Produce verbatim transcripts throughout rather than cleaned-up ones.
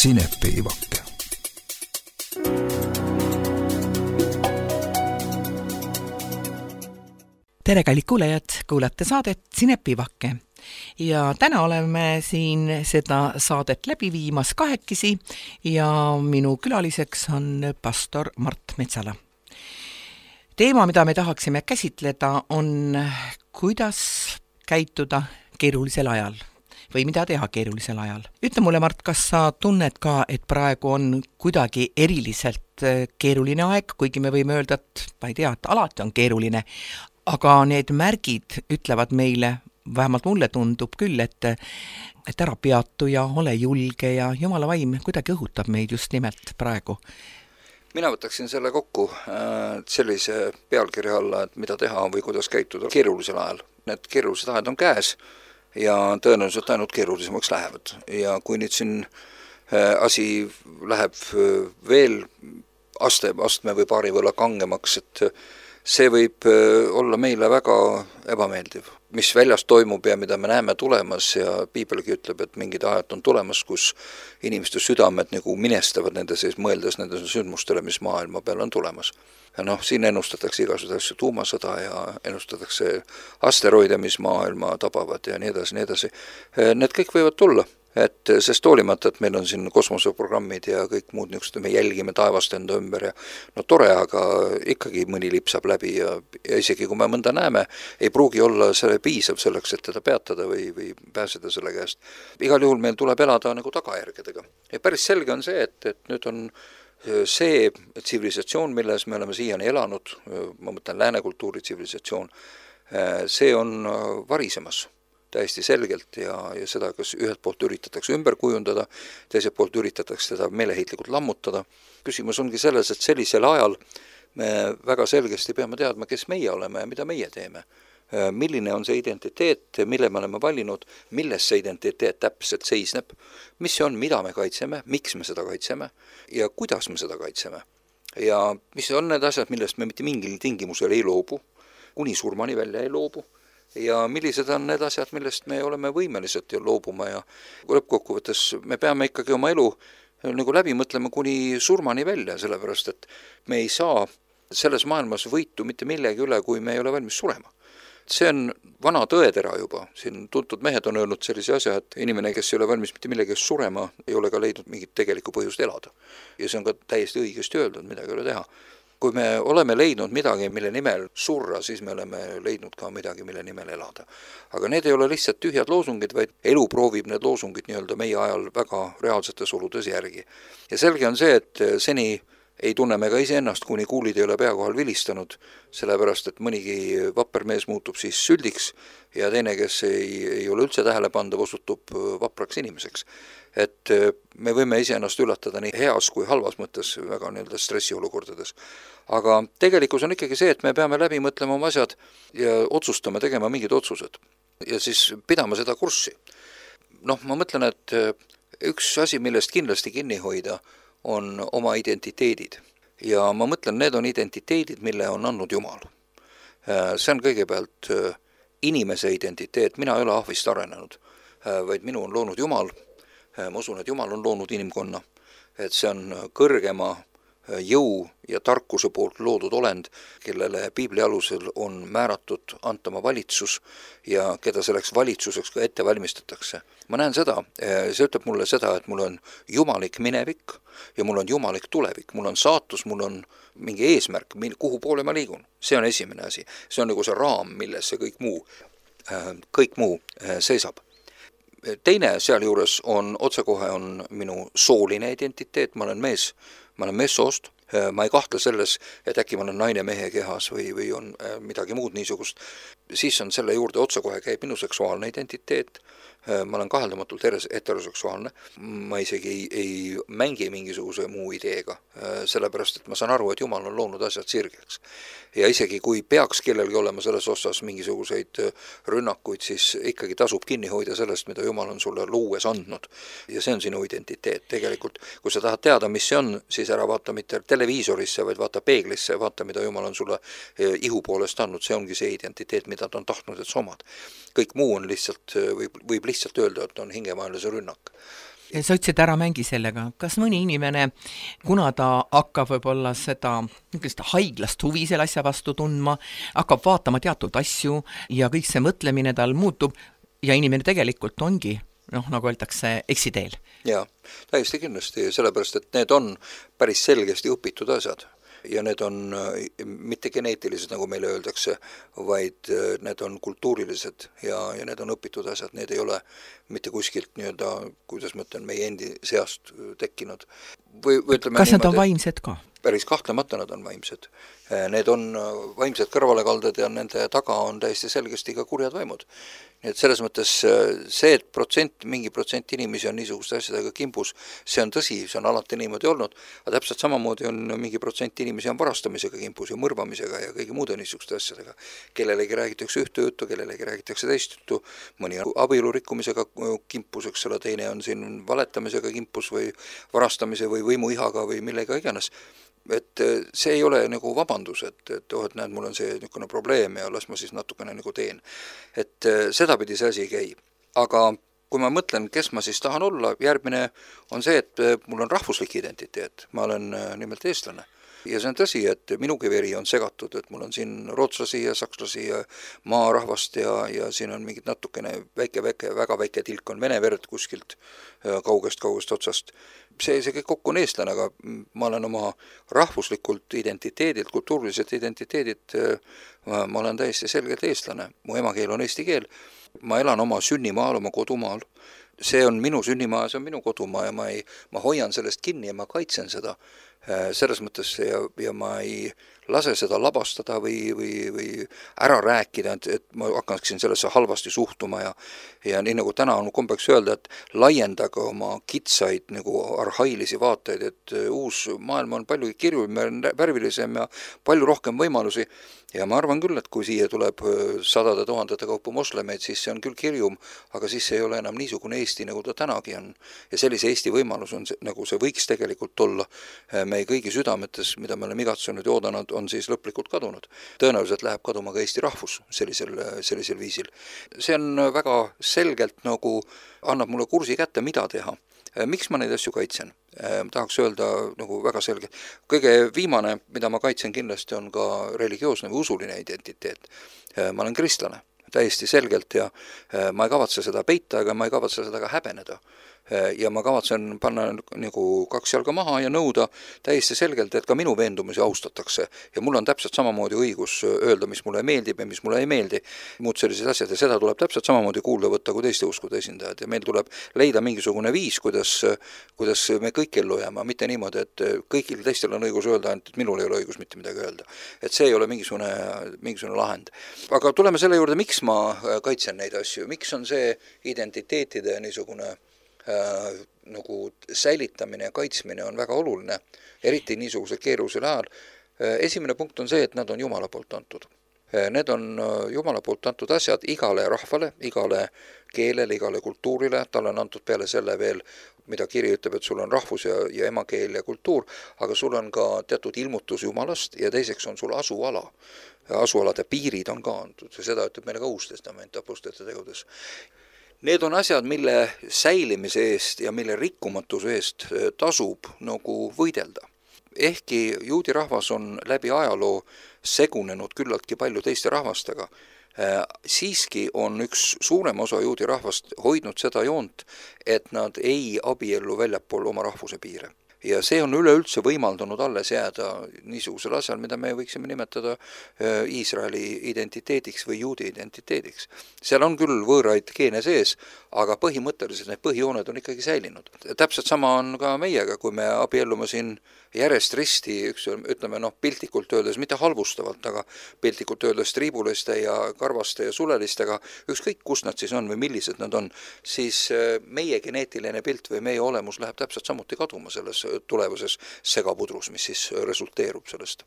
Sinepiivake. Tere, kallid kuulajad, kuulate saadet Sinepiivake. Ja täna oleme siin seda saadet läbi viimas kahekesi ja minu külaliseks on pastor Mart Metsala. Teema, mida me tahaksime käsitleda, on kuidas käituda keerulisel ajal või mida teha keerulisel ajal. Ütle mulle, Mart, kas sa tunned ka, et praegu on kuidagi eriliselt keeruline aeg, kuigi me võime öelda, et ma ei tea, et alati on keeruline, aga need märgid ütlevad meile, vähemalt mulle tundub küll, et, et ära peatu ja ole julge ja Jumala vaim kuidagi õhutab meid just nimelt praegu. Mina võtaksin selle kokku sellise pealkirja alla, et mida teha või kuidas käituda keerulisel ajal. Need keerulised ajad on käes ja tõenäoliselt ainult keerulisemaks lähevad. Ja kui nüüd siin asi läheb veel aste, astme või paari võlla kangemaks, et see võib olla meile väga ebameeldiv, mis väljast toimub ja mida me näeme tulemas ja piibelgi ütleb, et mingid ajad on tulemas, kus inimeste südamed nagu minestavad nende sees, mõeldes nende sündmustele, mis maailma peal on tulemas. Ja noh, siin ennustatakse igasugused tuumasõda ja ennustatakse asteroide, mis maailma tabavad ja nii edasi, nii edasi. Need kõik võivad tulla. Et sest hoolimata, et meil on siin kosmoseprogrammid ja kõik muud niisugused, me jälgime taevast enda ümber ja no tore, aga ikkagi mõni lipsab läbi ja, ja isegi kui me mõnda näeme, ei pruugi olla selle piisav selleks, et teda peatada või, või pääseda selle käest. Igal juhul meil tuleb elada nagu tagajärgedega. Ja päris selge on see, et, et nüüd on see tsivilisatsioon, milles me oleme siiani elanud, ma mõtlen läänekultuuri tsivilisatsioon, see on varisemas täiesti selgelt ja, ja seda, kas ühelt poolt üritatakse ümber kujundada, teiselt poolt üritatakse teda meeleheitlikult lammutada. Küsimus ongi selles, et sellisel ajal me väga selgesti peame teadma, kes meie oleme ja mida meie teeme. Milline on see identiteet, mille me oleme valinud, milles see identiteet täpselt seisneb, mis see on, mida me kaitseme, miks me seda kaitseme ja kuidas me seda kaitseme. Ja mis on need asjad, millest me mitte mingil tingimusel ei loobu, kuni surmani välja ei loobu. Ja millised on need asjad, millest me oleme võimelised loobuma ja lõppkokkuvõttes me peame ikkagi oma elu nagu läbi mõtlema kuni surmani välja, sellepärast et me ei saa selles maailmas võitu mitte millegi üle, kui me ei ole valmis surema. See on vana tõetera juba. Siin tuntud mehed on öelnud sellise asja, et inimene, kes ei ole valmis mitte millegi surema, ei ole ka leidnud mingit tegelikku põhjust elada. Ja see on ka täiesti õigesti öeldud, midagi ei ole teha. Kui me oleme leidnud midagi, mille nimel surra, siis me oleme leidnud ka midagi, mille nimel elada. Aga need ei ole lihtsalt tühjad loosungid, vaid elu proovib need loosungid nii-öelda meie ajal väga reaalsetes oludes järgi. Ja selge on see, et seni ei tunne me ka iseennast, kuni kuulid ei ole pea kohal vilistanud, sellepärast, et mõnigi vapper mees muutub siis süldiks ja teine, kes ei, ei ole üldse tähelepandav, osutub vapraks inimeseks. Et me võime iseennast üllatada nii heas kui halvas mõttes väga nii-öelda stressiolukordades. Aga tegelikkus on ikkagi see, et me peame läbi mõtlema oma asjad ja otsustama tegema mingid otsused ja siis pidama seda kurssi. Noh, ma mõtlen, et üks asi, millest kindlasti kinni hoida, on oma identiteedid. Ja ma mõtlen, need on identiteedid, mille on andnud Jumal. See on kõigepealt inimese identiteet, mina ei ole ahvist arenenud, vaid minu on loonud Jumal. Ma usun, et Jumal on loonud inimkonna, et see on kõrgema jõu ja tarkuse poolt loodud olend, kellele piibli alusel on määratud antama valitsus ja keda selleks valitsuseks ka ette valmistatakse. Ma näen seda, see ütleb mulle seda, et mul on jumalik minevik ja mul on jumalik tulevik, mul on saatus, mul on mingi eesmärk, kuhu poole ma liigun. See on esimene asi, see on nagu see raam, milles see kõik muu, kõik muu seisab. Teine sealjuures on, otsekohe on minu sooline identiteet, ma olen mees, ma olen meessoost, ma ei kahtle selles, et äkki ma olen naine mehe kehas või, või on midagi muud niisugust, siis on selle juurde otsekohe käib minu seksuaalne identiteet, ma olen kaheldamatult heteroseksuaalne, ma isegi ei, ei mängi mingisuguse muu ideega, sellepärast, et ma saan aru, et Jumal on loonud asjad sirgeks. Ja isegi kui peaks kellelgi olema selles osas mingisuguseid rünnakuid, siis ikkagi tasub kinni hoida sellest, mida Jumal on sulle luues andnud. Ja see on sinu identiteet. Tegelikult, kui sa tahad teada, mis see on, siis ära vaata mitte televiisorisse, vaid vaata peeglisse, vaata, mida Jumal on sulle ihu poolest andnud. See ongi see identiteet, mida ta on tahtnud, et sa omad. Kõik muu on lihtsalt, võib, võib lihtsalt öelda, et on hingemaelise rünnak. sa ütlesid, ära mängi sellega. Kas mõni inimene, kuna ta hakkab võib-olla seda haiglast huvi selle asja vastu tundma, hakkab vaatama teatud asju ja kõik see mõtlemine tal muutub ja inimene tegelikult ongi, noh, nagu öeldakse, eksiteel? Jaa, täiesti kindlasti, sellepärast, et need on päris selgesti õpitud asjad. Ja need on mitte geneetilised, nagu meile öeldakse, vaid need on kultuurilised ja, ja need on õpitud asjad, need ei ole mitte kuskilt nii-öelda, kuidas ma ütlen, meie endi seast tekkinud. Või, või ütleme, kas nad niimoodi, on vaimsed ka? Päris kahtlemata nad on vaimsed. Need on vaimsed kõrvalekalded ja nende taga on täiesti selgesti ka kurjad vaimud. Nii et selles mõttes see, et protsent, mingi protsent inimesi on niisuguste asjadega kimbus, see on tõsi, see on alati niimoodi olnud, aga täpselt samamoodi on mingi protsent inimesi on varastamisega kimbus ja mõrvamisega ja kõigi muude niisuguste asjadega. Kellelegi räägitakse ühte juttu, kellelegi räägitakse teist juttu, mõni on abielu rikkumisega kimpus, eks ole, teine on siin valetamisega kimpus või varastamise või võimuihaga või millega iganes. Et see ei ole nagu vabandus, et, et oh, et näed, mul on see niisugune probleem ja las ma siis natukene nagu teen. Et sedapidi see asi ei käi. Aga kui ma mõtlen, kes ma siis tahan olla, järgmine on see, et mul on rahvuslik identiteet. Ma olen nimelt eestlane. Ja see on tõsi, et minugi veri on segatud, et mul on siin rootslasi ja sakslasi ja maarahvast ja, ja siin on mingid natukene väike, väike, väga väike tilk on vene verd kuskilt kaugest, kaugest otsast. See, see kõik kokku on eestlane, aga ma olen oma rahvuslikult identiteedilt, kultuuriliselt identiteedilt, ma olen täiesti selgelt eestlane. Mu emakeel on eesti keel. Ma elan oma sünnimaal, oma kodumaal. See on minu sünnimaa, see on minu kodumaa ja ma, ei, ma hoian sellest kinni ja ma kaitsen seda. Selles mõttes ja, ja ma ei lase seda labastada või, või, või ära rääkida, et, et ma hakkaksin sellesse halvasti suhtuma ja, ja nii nagu täna on kombeks öelda, et laiendage oma kitsaid nagu arhailisi vaateid, et uus maailm on palju kirjum ja värvilisem ja palju rohkem võimalusi ja ma arvan küll, et kui siia tuleb sadade tuhandete kaupa moslemeid, siis see on küll kirjum, aga siis see ei ole enam niisugune Eesti, nagu ta tänagi on ja sellise Eesti võimalus on see, nagu see võiks tegelikult olla meie kõigi südametes, mida me oleme igatsunud ja oodanud, on siis lõplikult kadunud. Tõenäoliselt läheb kaduma ka Eesti rahvus sellisel, sellisel viisil. See on väga selgelt nagu annab mulle kursi kätte, mida teha. Miks ma neid asju kaitsen? Tahaks öelda nagu väga selgelt. Kõige viimane, mida ma kaitsen kindlasti, on ka religioosne või usuline identiteet. Ma olen kristlane, täiesti selgelt ja ma ei kavatse seda peita, aga ma ei kavatse seda ka häbeneda. Ja ma kavatsen panna nagu kaks jalga maha ja nõuda täiesti selgelt, et ka minu veendumusi austatakse. Ja mul on täpselt samamoodi õigus öelda, mis mulle meeldib ja mis mulle ei meeldi. Muud sellised asjad ja seda tuleb täpselt samamoodi kuulda võtta kui teiste uskude esindajad. Ja meil tuleb leida mingisugune viis, kuidas, kuidas me kõik ellu jääma. Mitte niimoodi, et kõigil teistel on õigus öelda, et minul ei ole õigus mitte midagi öelda. Et see ei ole mingisugune, mingisugune lahend. Aga tuleme selle juurde, miks ma kaitsen neid asju. Miks on see identiteetide niisugune Äh, nagu säilitamine ja kaitsmine on väga oluline, eriti niisuguse keerulisel ajal. Äh, esimene punkt on see, et nad on Jumala poolt antud. Äh, need on Jumala poolt antud asjad igale rahvale, igale keelele, igale kultuurile, tal on antud peale selle veel, mida kiri ütleb, et sul on rahvus ja, ja emakeel ja kultuur, aga sul on ka teatud ilmutus Jumalast ja teiseks on sul asuala. Asualade piirid on ka antud ja seda ütleb meile ka Uus Testament apostlite tegudes. Need on asjad, mille säilimise eest ja mille rikkumatuse eest tasub nagu võidelda. Ehkki juudi rahvas on läbi ajaloo segunenud küllaltki palju teiste rahvastega, siiski on üks suurem osa juudi rahvast hoidnud seda joont, et nad ei abiellu väljapool oma rahvuse piire. Ja see on üleüldse võimaldanud alles jääda niisugusel asjal, mida me võiksime nimetada Iisraeli identiteediks või juudi identiteediks. Seal on küll võõraid geene sees, aga põhimõtteliselt need põhijooned on ikkagi säilinud. Täpselt sama on ka meiega, kui me abiellume siin järjest risti, üks, ütleme noh, piltlikult öeldes, mitte halvustavalt, aga piltlikult öeldes triibuliste ja karvaste ja sulelistega, ükskõik kus nad siis on või millised nad on, siis meie geneetiline pilt või meie olemus läheb täpselt samuti kaduma selles tulevases segapudrus, mis siis resulteerub sellest.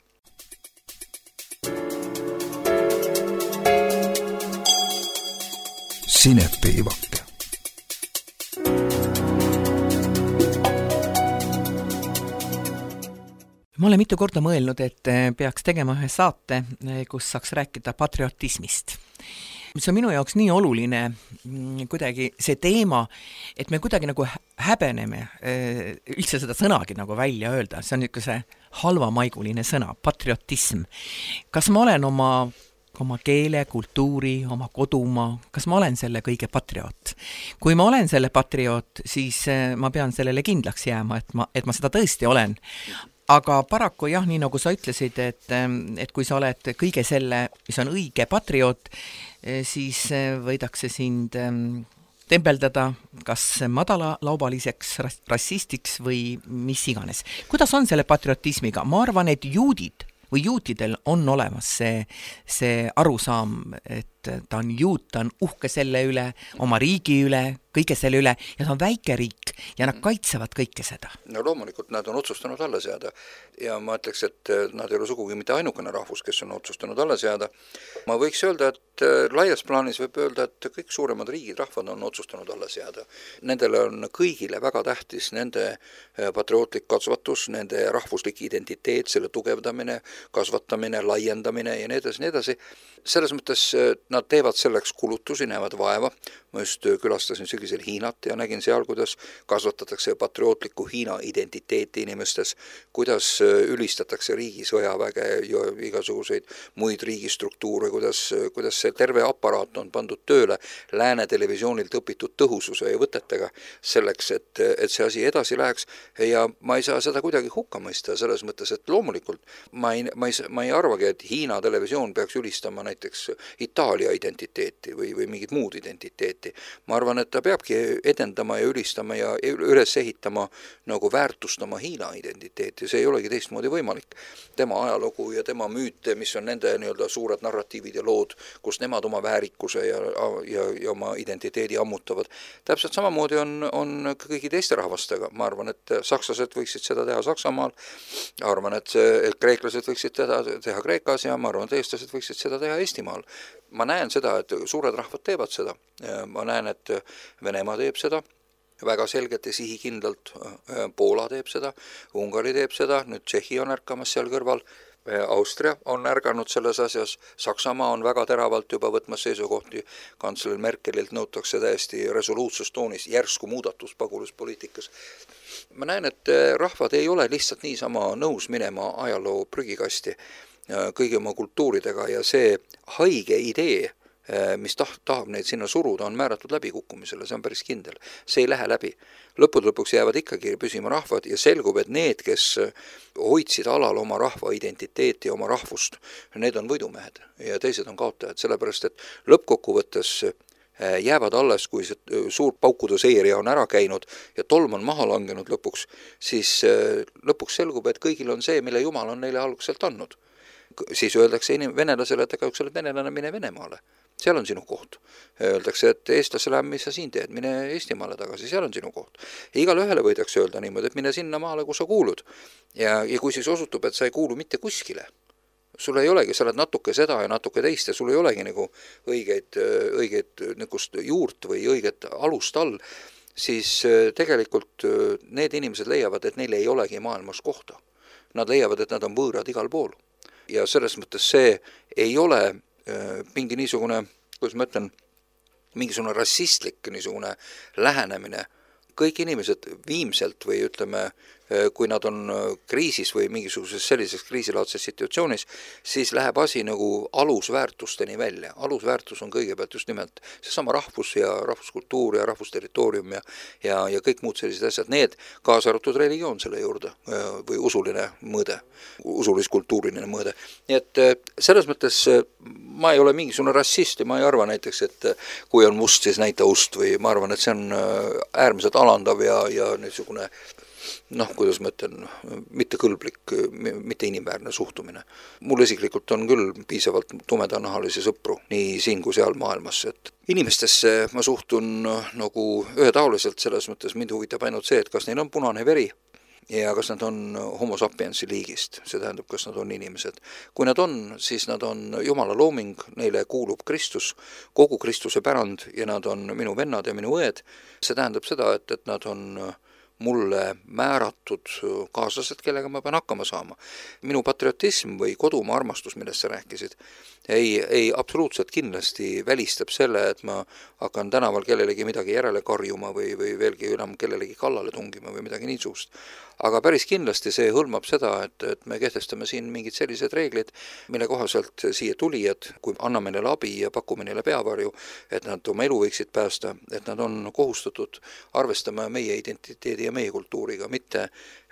Sinepiivake. Ma olen mitu korda mõelnud, et peaks tegema ühe saate, kus saaks rääkida patriotismist. see on minu jaoks nii oluline kuidagi see teema, et me kuidagi nagu häbeneme üldse seda sõnagi nagu välja öelda, see on niisugune halvamaiguline sõna, patriotism. Kas ma olen oma, oma keele, kultuuri, oma kodumaa, kas ma olen selle kõige patrioot? Kui ma olen selle patrioot, siis ma pean sellele kindlaks jääma, et ma, et ma seda tõesti olen. Aga paraku jah, nii nagu sa ütlesid, et, et kui sa oled kõige selle, mis on õige patrioot, siis võidakse sind tembeldada kas madalalaubaliseks rassistiks või mis iganes. Kuidas on selle patriotismiga? Ma arvan, et juudid või juutidel on olemas see, see arusaam, et ta on juut, ta on uhke selle üle, oma riigi üle, kõige selle üle, ja ta on väike riik ja nad kaitsevad kõike seda. No loomulikult nad on otsustanud alla seada ja ma ütleks, et nad ei ole sugugi mitte ainukene rahvus, kes on otsustanud alla seada. Ma võiks öelda, et laias plaanis võib öelda, et kõik suuremad riigid, rahvad on otsustanud alla seada. Nendele on kõigile väga tähtis nende patriootlik kasvatus, nende rahvuslik identiteet, selle tugevdamine, kasvatamine, laiendamine ja nii edasi, nii edasi. Selles mõttes nad teevad selleks kulutusi, näevad vaeva. Ma just külastasin sügisel Hiinat ja nägin seal, kuidas kasvatatakse patriootlikku Hiina identiteeti inimestes, kuidas ülistatakse riigi sõjaväge ja igasuguseid muid riigistruktuure, kuidas, kuidas see terve aparaat on pandud tööle lääne televisioonilt õpitud tõhususe ja võtetega selleks, et, et see asi edasi läheks ja ma ei saa seda kuidagi hukka mõista selles mõttes, et loomulikult ma ei, ma ei, ma ei arvagi, et Hiina televisioon peaks ülistama näiteks Itaalia identiteeti või, või mingit muud identiteeti. Ma arvan, et ta peabki edendama ja ülistama ja üles ehitama nagu väärtustama Hiina identiteeti. See ei olegi teistmoodi võimalik. Tema ajalugu ja tema müüte, mis on nende nii-öelda suured narratiivid ja lood, kus nemad oma väärikuse ja, ja, ja oma identiteedi ammutavad. Täpselt samamoodi on, on kõigi teiste rahvastega. Ma arvan, et sakslased võiksid seda teha Saksamaal. Arvan, et, et kreeklased võiksid teda teha Kreekas ja ma arvan, et eestlased võiksid seda teha Eestimaal. Ma näen seda, et suured rahvad teevad seda. Ma näen, et Venemaa teeb seda väga selgelt ja sihikindlalt. Poola teeb seda, Ungari teeb seda, nüüd Tšehhi on ärkamas seal kõrval. Austria on ärganud selles asjas, Saksamaa on väga teravalt juba võtmas seisukohti, kantsler Merkelilt nõutakse täiesti resoluutsus toonis järsku muudatus pagulaspoliitikas. Ma näen, et rahvad ei ole lihtsalt niisama nõus minema ajaloo prügikasti kõigi oma kultuuridega ja see haige idee, mis taht, tahab neid sinna suruda, on määratud läbikukkumisele, see on päris kindel. See ei lähe läbi. Lõpud lõpuks jäävad ikkagi püsima rahvad ja selgub, et need, kes hoidsid alal oma rahva identiteeti ja oma rahvust, need on võidumehed ja teised on kaotajad, sellepärast et lõppkokkuvõttes jäävad alles, kui see suur paukude seeria on ära käinud ja tolm on maha langenud lõpuks, siis lõpuks selgub, et kõigil on see, mille Jumal on neile alguselt andnud. Siis öeldakse inim- venelasele, et aga kui sa oled venelane, mine Venemaale. Seal on sinu koht. Öeldakse, et eestlasele, mis sa siin teed, mine Eestimaale tagasi, seal on sinu koht. Ja igale ühele võidakse öelda niimoodi, et mine sinna maale, kus sa kuulud. Ja, ja kui siis osutub, et sa ei kuulu mitte kuskile, sul ei olegi, sa oled natuke seda ja natuke teist ja sul ei olegi nagu õigeid, õigeid niisugust juurt või õiget alust all, siis tegelikult need inimesed leiavad, et neil ei olegi maailmas kohta. Nad leiavad, et nad on võõrad igal pool. Ja selles mõttes see ei ole mingi niisugune, kuidas ma ütlen, mingisugune rassistlik niisugune lähenemine. Kõik inimesed viimselt või ütleme, kui nad on kriisis või mingisuguses sellises kriisilaadses situatsioonis, siis läheb asi nagu alusväärtusteni välja. Alusväärtus on kõigepealt just nimelt seesama rahvus ja rahvuskultuur ja rahvusterritoorium ja, ja, ja kõik muud sellised asjad. Need kaasa arvatud religioon selle juurde või usuline mõõde, usulis-kultuuriline mõõde. Nii et selles mõttes ma ei ole mingisugune rassist ja ma ei arva näiteks, et kui on must, siis näita ust või ma arvan, et see on äärmiselt alandav ja, ja niisugune noh, kuidas ma ütlen, mitte kõlblik, mitte inimväärne suhtumine. Mul isiklikult on küll piisavalt tumedanahalisi sõpru, nii siin kui seal maailmas, et inimestesse ma suhtun nagu ühetaoliselt selles mõttes, mind huvitab ainult see, et kas neil on punane veri ja kas nad on homo sapiensi liigist, see tähendab, kas nad on inimesed. Kui nad on, siis nad on Jumala looming, neile kuulub Kristus, kogu Kristuse pärand ja nad on minu vennad ja minu õed. See tähendab seda, et, et nad on mulle määratud kaaslased, kellega ma pean hakkama saama. Minu patriotism või kodumaa armastus, millest sa rääkisid, ei, ei absoluutselt kindlasti välistab selle, et ma hakkan tänaval kellelegi midagi järele karjuma või, või veelgi enam kellelegi kallale tungima või midagi niisugust. Aga päris kindlasti see hõlmab seda, et, et me kehtestame siin mingid sellised reeglid, mille kohaselt siia tulijad, kui anname neile abi ja pakume neile peavarju, et nad oma elu võiksid päästa, et nad on kohustatud arvestama meie identiteedi ja meie kultuuriga, mitte,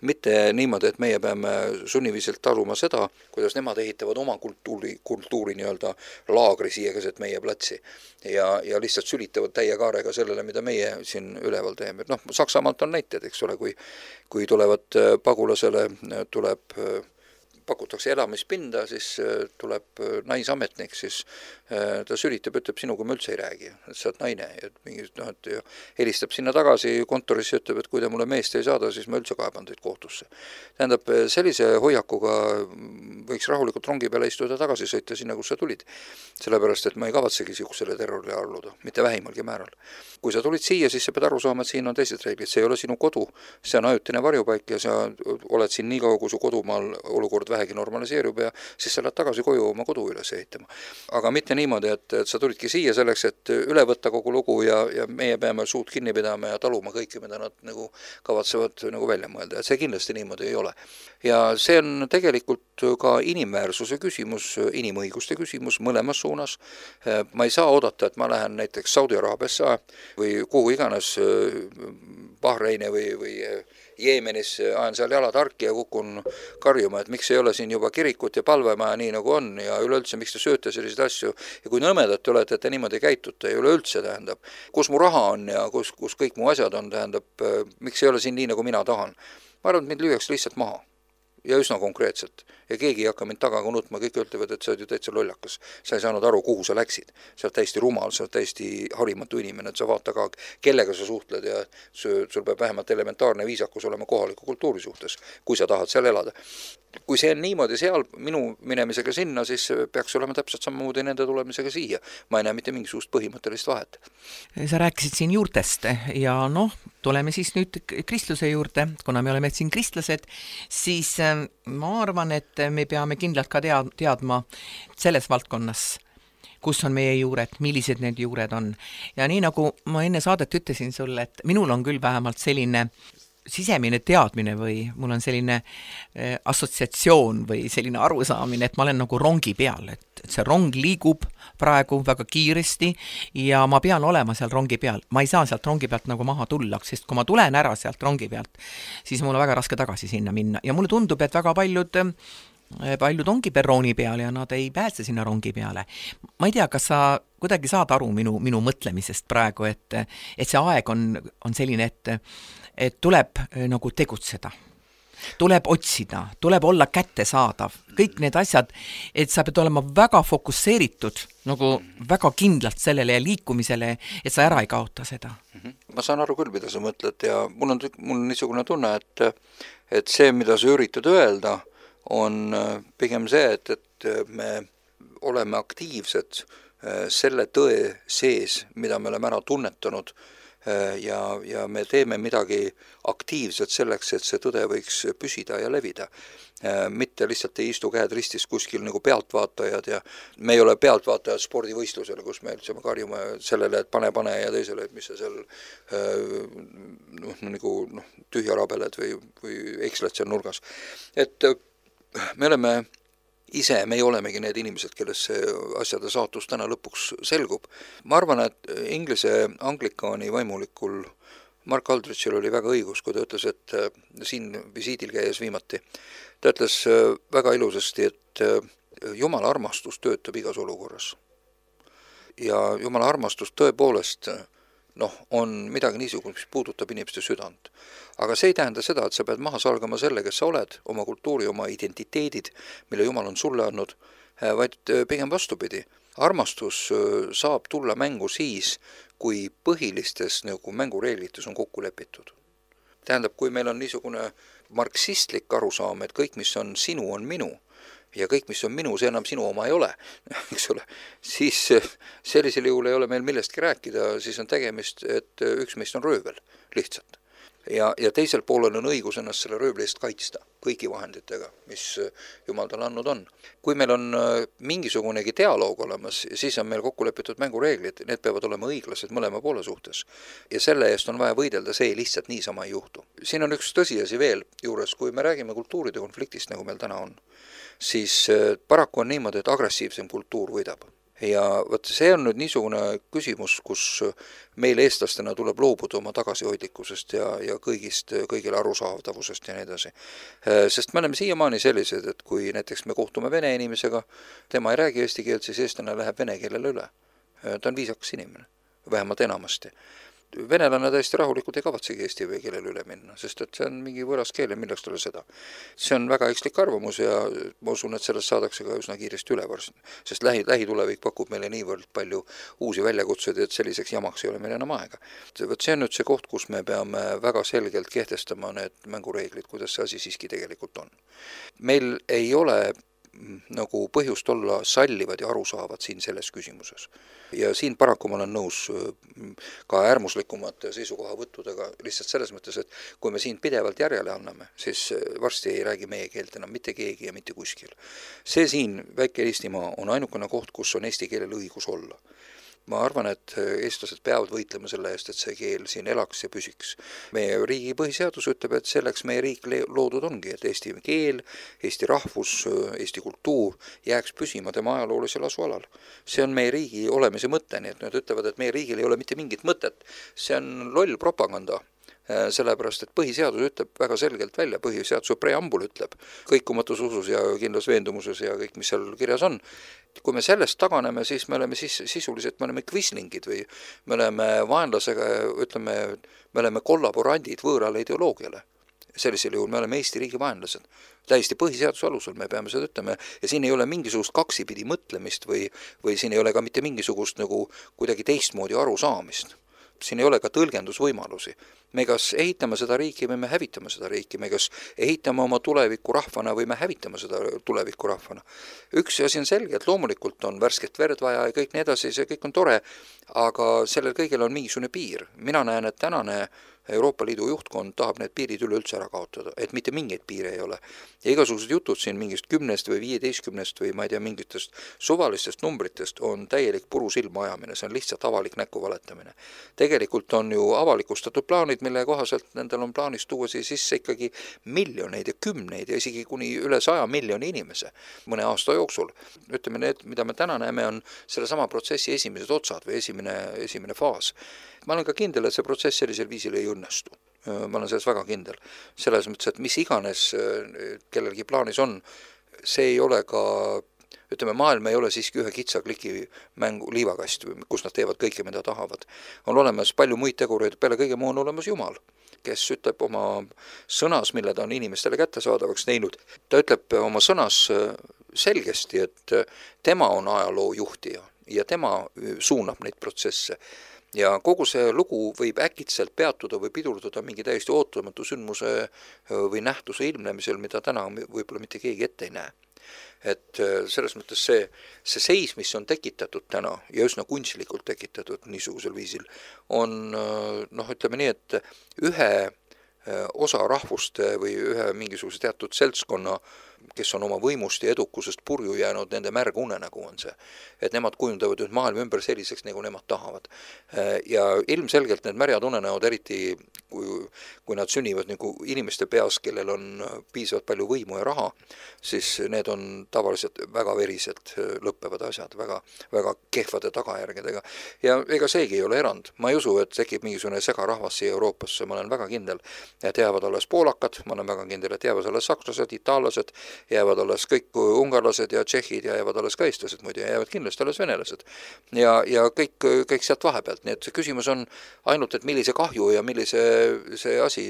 mitte niimoodi, et meie peame sunniviselt taluma seda, kuidas nemad ehitavad oma kultuuri, kultuuri nii-öelda laagri siia keset meie platsi ja, ja lihtsalt sülitavad täie kaarega sellele, mida meie siin üleval teeme. Noh, Saksamaalt on näited, eks ole, kui, kui tulevad pagulasele, tuleb pakutakse elamispinda, siis tuleb naisametnik, siis ta sülitab, ütleb sinuga ma üldse ei räägi, et sa oled naine, et mingi, noh, et helistab sinna tagasi kontorisse, ütleb, et kui te mulle meest ei saada, siis ma üldse kaeban teid kohtusse. Tähendab, sellise hoiakuga võiks rahulikult rongi peale istuda tagasi sõita sinna, kus sa tulid. Sellepärast, et ma ei kavatsegi siuksele terrorile alluda, mitte vähimalgi määral. Kui sa tulid siia, siis sa pead aru saama, et siin on teised reeglid, see ei ole sinu kodu, see on ajutine varjupaik ja sa oled siin nii kaua, kui su kodumaal olukord vähegi normaliseerub ja siis sa lähed tagasi koju oma kodu üles ehitama. Aga mitte niimoodi, et, et sa tulidki siia selleks, et üle võtta kogu lugu ja, ja meie peame suud kinni pidama ja taluma kõike, mida nad nagu kavatsevad nagu välja mõelda. Et see kindlasti niimoodi ei ole. Ja see on tegelikult ka inimväärsuse küsimus, inimõiguste küsimus mõlemas suunas. Ma ei saa oodata, et ma lähen näiteks Saudi Araabiasse või kuhu iganes Bahreini või, või Jeemenis ajan seal jalad harki ja kukun karjuma, et miks ei ole siin juba kirikut ja palvemaja nii nagu on ja üleüldse miks te sööte selliseid asju ja kui nõmedad te olete, et te niimoodi käitute ja üleüldse tähendab, kus mu raha on ja kus, kus kõik mu asjad on, tähendab, miks ei ole siin nii nagu mina tahan. Ma arvan, et mind lüüaks lihtsalt maha ja üsna konkreetselt. Ja keegi ei hakka mind tagaga nutma, kõik ütlevad, et sa oled ju täitsa lollakas. Sa ei saanud aru, kuhu sa läksid. Sa oled täiesti rumal, sa oled täiesti harimatu inimene, et sa vaata ka, kellega sa suhtled ja sul peab vähemalt elementaarne viisakus olema kohaliku kultuuri suhtes, kui sa tahad seal elada. Kui see on niimoodi seal minu minemisega sinna, siis peaks olema täpselt samamoodi nende tulemisega siia. Ma ei näe mitte mingisugust põhimõttelist vahet. Sa rääkisid siin juurtest ja noh, tuleme siis nüüd kristluse juurde, kuna me oleme siin kristlased, siis ma arvan, et me peame kindlalt ka tead, teadma selles valdkonnas, kus on meie juured, millised need juured on. Ja nii nagu ma enne saadet ütlesin sulle, et minul on küll vähemalt selline sisemine teadmine või mul on selline äh, assotsiatsioon või selline arusaamine, et ma olen nagu rongi peal, et, et see rong liigub praegu väga kiiresti ja ma pean olema seal rongi peal. Ma ei saa sealt rongi pealt nagu maha tulla, sest kui ma tulen ära sealt rongi pealt, siis mul on väga raske tagasi sinna minna ja mulle tundub, et väga paljud paljud ongi perrooni peal ja nad ei pääse sinna rongi peale. Ma ei tea, kas sa kuidagi saad aru minu, minu mõtlemisest praegu, et, et see aeg on, on selline, et, et tuleb nagu tegutseda. Tuleb otsida, tuleb olla kättesaadav. Kõik need asjad, et sa pead olema väga fokusseeritud, nagu väga kindlalt sellele ja liikumisele, et sa ära ei kaota seda. Ma saan aru küll, mida sa mõtled ja mul on, mul on niisugune tunne, et, et see, mida sa üritad öelda, on pigem see, et, et me oleme aktiivsed selle tõe sees, mida me oleme ära tunnetanud ja, ja me teeme midagi aktiivselt selleks, et see tõde võiks püsida ja levida. Mitte lihtsalt ei istu käed ristis kuskil nagu pealtvaatajad ja me ei ole pealtvaatajad spordivõistlusel, kus me üldse karjume sellele, et pane, pane ja teisele, et mis sa seal noh, nagu noh, tühja rabeled või, või eksled seal nurgas. Et me oleme ise, me ei olemegi need inimesed, kellest see asjade saatus täna lõpuks selgub. Ma arvan, et Inglise anglikaani vaimulikul Mark Aldrichil oli väga õigus, kui ta ütles, et siin visiidil käies viimati. Ta ütles väga ilusasti, et Jumala armastus töötab igas olukorras. Ja Jumala armastus tõepoolest noh, on midagi niisugust, mis puudutab inimeste südant. Aga see ei tähenda seda, et sa pead maha salgama selle, kes sa oled, oma kultuuri, oma identiteedid, mille Jumal on sulle andnud, vaid pigem vastupidi. Armastus saab tulla mängu siis, kui põhilistes nagu mängureeglites on kokku lepitud. Tähendab, kui meil on niisugune marksistlik arusaam, et kõik, mis on sinu, on minu, ja kõik, mis on minu, see enam sinu oma ei ole, eks ole, siis sellisel juhul ei ole meil millestki rääkida, siis on tegemist, et üks meist on röövel, lihtsalt. ja, ja teisel poolel on õigus ennast selle röövli eest kaitsta kõigi vahenditega, mis Jumal talle andnud on. Kui meil on mingisugunegi dialoog olemas, siis on meil kokku lepitud mängureeglid, need peavad olema õiglased mõlema poole suhtes. Ja selle eest on vaja võidelda, see lihtsalt niisama ei juhtu. Siin on üks tõsiasi veel juures, kui me räägime kultuuride konfliktist, nagu meil täna on, siis paraku on niimoodi, et agressiivsem kultuur võidab. Ja võt, see on nüüd niisugune küsimus, kus meil eestlastena tuleb loobuda oma tagasihoidlikkusest ja, ja kõigist, kõigile arusaavdavusest ja nii edasi. Sest me oleme siiamaani sellised, et kui näiteks me kohtume vene inimesega, tema ei räägi eesti keelt, siis eestlane läheb vene keelele üle. Ta on viisakas inimene, vähemalt enamasti. Venelane täiesti rahulikult ei kavatsegi eesti keelele üle minna, sest et see on mingi võõras keel ja milleks talle seda. See on väga ekslik arvamus ja ma usun, et sellest saadakse ka üsna kiiresti üle varsti, sest lähi, lähitulevik pakub meile niivõrd palju uusi väljakutsuid, et selliseks jamaks ei ole meil enam aega. Võt, see on nüüd see koht, kus me peame väga selgelt kehtestama need mängureeglid, kuidas see asi siiski tegelikult on. Meil ei ole nagu põhjust olla sallivad ja arusaavad siin selles küsimuses. Ja siin paraku ma olen nõus ka äärmuslikumate seisukohavõttudega lihtsalt selles mõttes, et kui me siin pidevalt järjele anname, siis varsti ei räägi meie keelt enam mitte keegi ja mitte kuskil. See siin, väike Eestimaa, on ainukene koht, kus on eesti keelel õigus olla. Ma arvan, et eestlased peavad võitlema selle eest, et see keel siin elaks ja püsiks. Meie riigi põhiseadus ütleb, et selleks meie riik loodud ongi, et eesti keel, eesti rahvus, eesti kultuur jääks püsima tema ajaloolisel asualal. See on meie riigi olemise mõte, nii et nad ütlevad, et meie riigil ei ole mitte mingit mõtet. See on loll propaganda. Sellepärast, et põhiseadus ütleb väga selgelt välja, põhiseaduse preambul ütleb kõikumatus usus ja kindlas veendumuses ja kõik, mis seal kirjas on. Kui me sellest taganeme, siis me oleme sis, sisuliselt, me oleme kvislingid või me oleme vaenlasega, ütleme, me oleme kollaborandid võõrale ideoloogiale. Sellisel juhul me oleme Eesti riigi vaenlased. Täiesti põhiseaduse alusel me peame seda ütlema ja siin ei ole mingisugust kaksipidi mõtlemist või, või siin ei ole ka mitte mingisugust nagu kuidagi teistmoodi arusaamist. Siin ei ole ka tõlgendusvõimalusi. Me kas ehitame seda riiki või me hävitame seda riiki, me kas ehitame oma tuleviku rahvana või me hävitame seda tuleviku rahvana. Üks asi on selge, et loomulikult on värsket verd vaja ja kõik nii edasi, see kõik on tore, aga sellel kõigil on mingisugune piir. Mina näen, et tänane Euroopa Liidu juhtkond tahab need piirid üleüldse ära kaotada, et mitte mingeid piire ei ole. Ja igasugused jutud siin mingist kümnest või viieteistkümnest või ma ei tea mingitest suvalistest numbritest on täielik puru silma ajamine, see on lihtsalt avalik näkku valetamine. Tegelikult on ju avalikustatud plaanid, mille kohaselt nendel on plaanis tuua siis sisse ikkagi miljoneid ja kümneid ja isegi kuni üle saja miljoni inimese mõne aasta jooksul. Ütleme, need, mida me täna näeme, on selle sama protsessi esimesed otsad või esimene, esimene faas. Ma olen ka kindel, et see protsess sellisel viisil ei õnnestu. Ma olen selles väga kindel. Selles mõttes, et mis iganes kellelgi plaanis on, see ei ole ka, ütleme, maailm ei ole siiski ühe kitsa kliki mängu liivakast, kus nad teevad kõike, mida tahavad. On olemas palju muid tegureid, peale kõige muu on olemas Jumal, kes ütleb oma sõnas, mille ta on inimestele kättesaadavaks teinud. Ta ütleb oma sõnas selgesti, et tema on ajaloo juhtija ja tema suunab neid protsesse. Ja kogu see lugu võib äkitselt peatuda või pidurduda mingi täiesti ootamatu sündmuse või nähtuse ilmnemisel, mida täna võib-olla mitte keegi ette ei näe. Et selles mõttes see, see seis, mis on tekitatud täna ja üsna kunstlikult tekitatud niisugusel viisil, on, noh, ütleme nii, et ühe osa rahvuste või ühe mingisuguse teatud seltskonna, kes on oma võimust ja edukusest purju jäänud, nende märg unenägu on see. Et nemad kujundavad nüüd maailma ümber selliseks, nagu nemad tahavad. Ja ilmselgelt need märjad unenäod, eriti kui, kui nad sünnivad nagu inimeste peas, kellel on piisavalt palju võimu ja raha, siis need on tavaliselt väga veriselt lõppevad asjad, väga, väga kehvade tagajärgedega. Ja ega seegi ei ole erand. Ma ei usu, et tekib mingisugune segarahvas siia Euroopasse, ma olen väga kindel, et jäävad alles poolakad, ma olen väga kindel, et jäävad alles sakslased, itaallased, jäävad alles kõik ungarlased ja tšehhid ja jäävad alles ka eestlased muidu ja jäävad kindlasti alles venelased. Ja, ja kõik, kõik sealt vahepealt. Nii et see küsimus on ainult, et millise kahju ja millise see asi,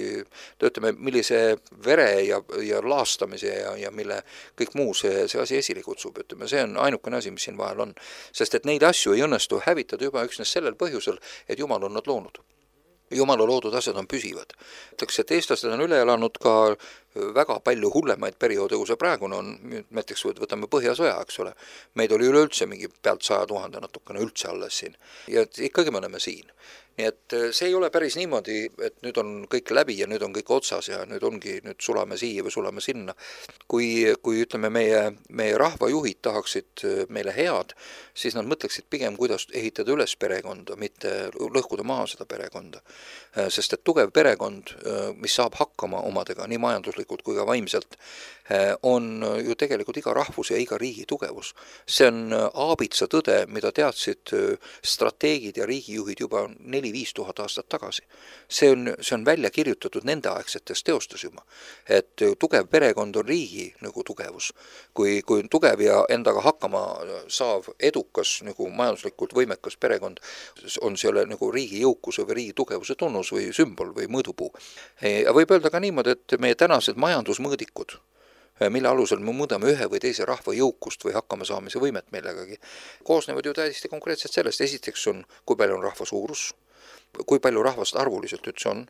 töötame, millise vere ja, ja laastamise ja, ja mille kõik muu see, see asi esile kutsub. Ütleme, see on ainukene asi, mis siin vahel on. Sest et neid asju ei õnnestu hävitada juba üksnes sellel põhjusel, et Jumal on nad loonud. Jumala loodud asjad on püsivad. Ütleks, et eestlased on üle elanud ka väga palju hullemaid perioode, kui see praegune on, näiteks võtame Põhjasõja, eks ole, meid oli üleüldse mingi pealt saja tuhande natukene üldse alles siin ja ikkagi me oleme siin. Nii et see ei ole päris niimoodi, et nüüd on kõik läbi ja nüüd on kõik otsas ja nüüd ongi, nüüd sulame siia või sulame sinna. Kui, kui ütleme, meie, meie rahvajuhid tahaksid meile head, siis nad mõtleksid pigem, kuidas ehitada üles perekonda, mitte lõhkuda maha seda perekonda. Sest et tugev perekond, mis saab hakkama omadega nii majanduslikult kui ka vaimselt, on ju tegelikult iga rahvus ja iga riigi tugevus. See on aabitsa tõde, mida teadsid strateegid ja riigijuhid juba neli viis tuhat aastat tagasi. See on, see on välja kirjutatud nende aegsetes teostus juba, et tugev perekond on riigi nagu tugevus. Kui, kui on tugev ja endaga hakkama saav edukas nagu majanduslikult võimekas perekond, on selle nagu riigi jõukuse või riigi tugevuse tunnus või sümbol või mõõdupuu. Ja võib öelda ka niimoodi, et meie tänased majandusmõõdikud, mille alusel me mõõdame ühe või teise rahva jõukust või hakkama saamise võimet millegagi, koosnevad ju täiesti konkreetselt sellest. Esiteks on, kui palju on rahva suurus, kui palju rahvast arvuliselt üldse on,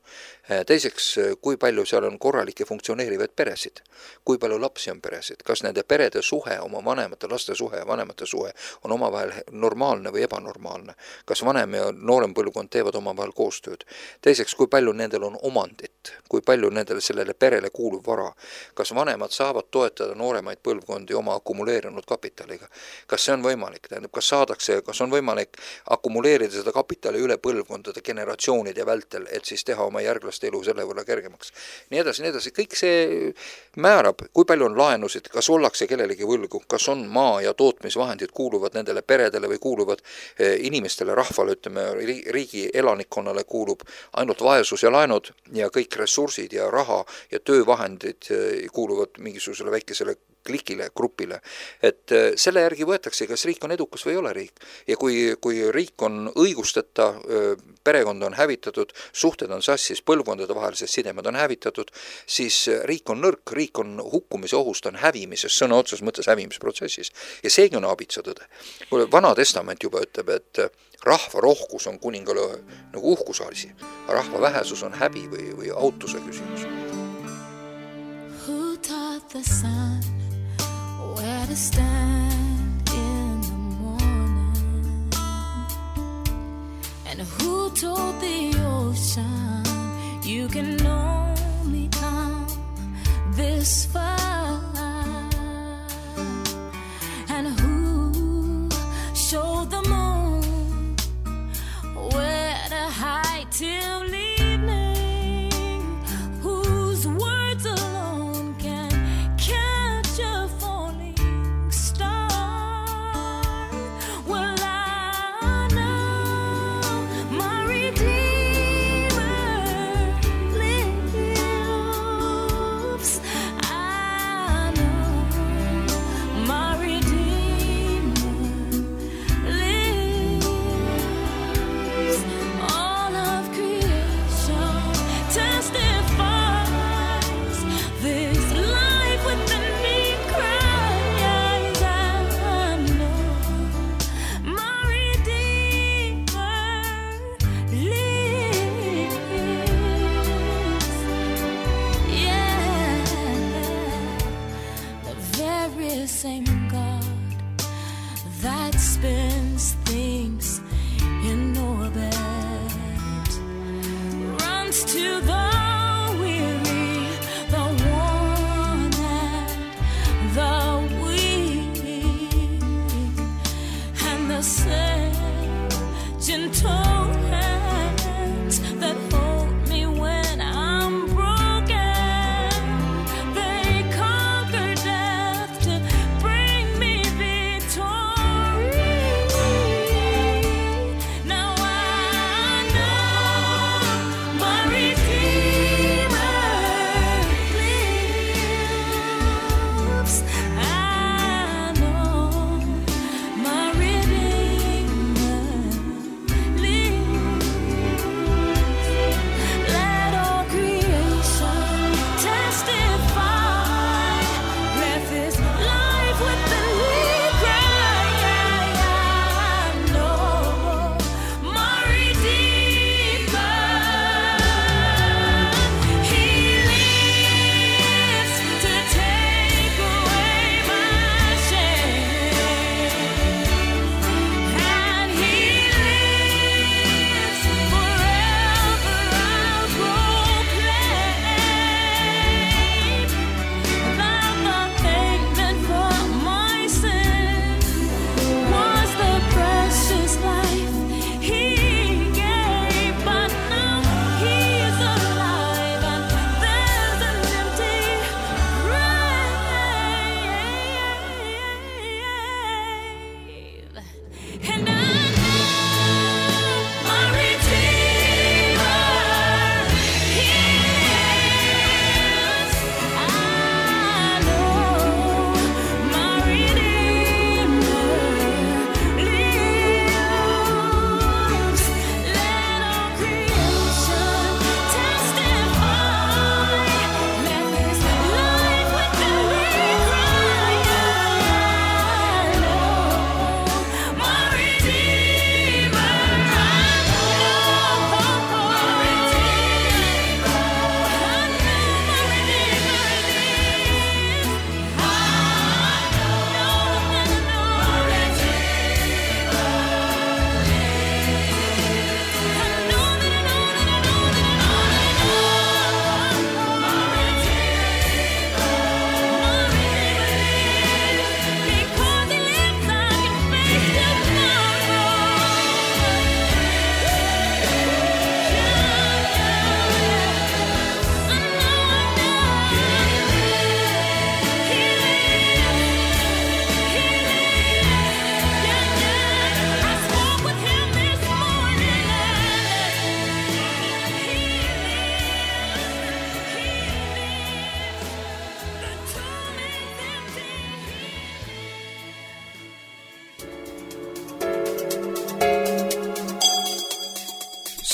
teiseks, kui palju seal on korralikke funktsioneerivaid peresid, kui palju lapsi on peresid, kas nende perede suhe, oma vanemate laste suhe ja vanemate suhe on omavahel normaalne või ebanormaalne, kas vanem ja noorem põlvkond teevad omavahel koostööd, teiseks, kui palju nendel on omandit, kui palju nendel sellele perele kuulub vara, kas vanemad saavad toetada nooremaid põlvkondi oma akumuleerinud kapitaliga, kas see on võimalik, tähendab, kas saadakse, kas on võimalik akumuleerida seda kapitali üle põlvkondade generatsioonide vältel, et siis teha oma järglaste elu selle võrra kergemaks. Nii edasi, nii edasi. Kõik see määrab, kui palju on laenusid, kas ollakse kellelegi võlgu, kas on maa ja tootmisvahendid kuuluvad nendele peredele või kuuluvad inimestele, rahvale, ütleme, riigi elanikkonnale kuulub ainult vaesus ja laenud ja kõik ressursid ja raha ja töövahendid kuuluvad mingisugusele väikesele klikile, grupile. Et selle järgi võetakse, kas riik on edukas või ei ole riik. Ja kui, kui riik on õigusteta, perekond on hävitatud, suhted on sassis, põlvkondade vahelised sidemed on hävitatud, siis riik on nõrk, riik on hukkumise ohust, on hävimises, sõna otses mõttes hävimisprotsessis. Ja seegi on aabitsa tõde. Vana testament juba ütleb, et rahva rohkus on kuningale nagu uhkusasi, rahva vähesus on häbi või, või autuse küsimus. Who taught the sun where to stand in the morning? And who told the ocean you can only come this far? And who showed the moon where to hide till evening? Whose words alone can catch a falling star? Well, I know my Redeemer lives. I know my Redeemer lives. All of creation testifies this life within me cries. I know my Redeemer lives. Yeah, the very same God that spins things in orbit runs to the weary, the worn and the weak, and the same gentle hands that hold me when I'm broken. They conquer death to bring me victory. Now I know my Redeemer lives. I know my Redeemer lives.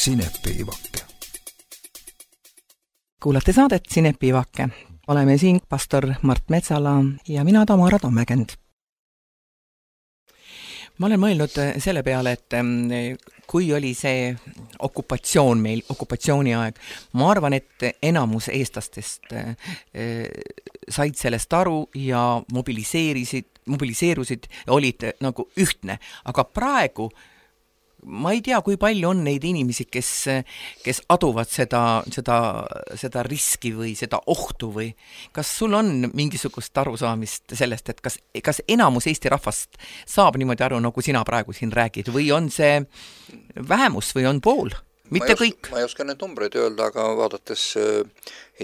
Sinepiivake. Kuulate saadet Sinepiivake. Oleme siin pastor Mart Metsala ja mina Tamara Tammekend. Ma olen mõelnud selle peale, et kui oli see okupatsioon meil, okupatsiooni aeg, ma arvan, et enamus eestlastest said sellest aru ja mobiliseerisid, mobiliseerusid ja olid nagu ühtne. Aga praegu ma ei tea, kui palju on neid inimesi, kes, kes aduvad seda, seda, seda riski või seda ohtu või kas sul on mingisugust arusaamist sellest, et kas, kas enamus Eesti rahvast saab niimoodi aru, nagu sina praegu siin räägid või on see vähemus või on pool? Mitte ma ei kõik. Oska, ma ei oska need numbreid öelda, aga vaadates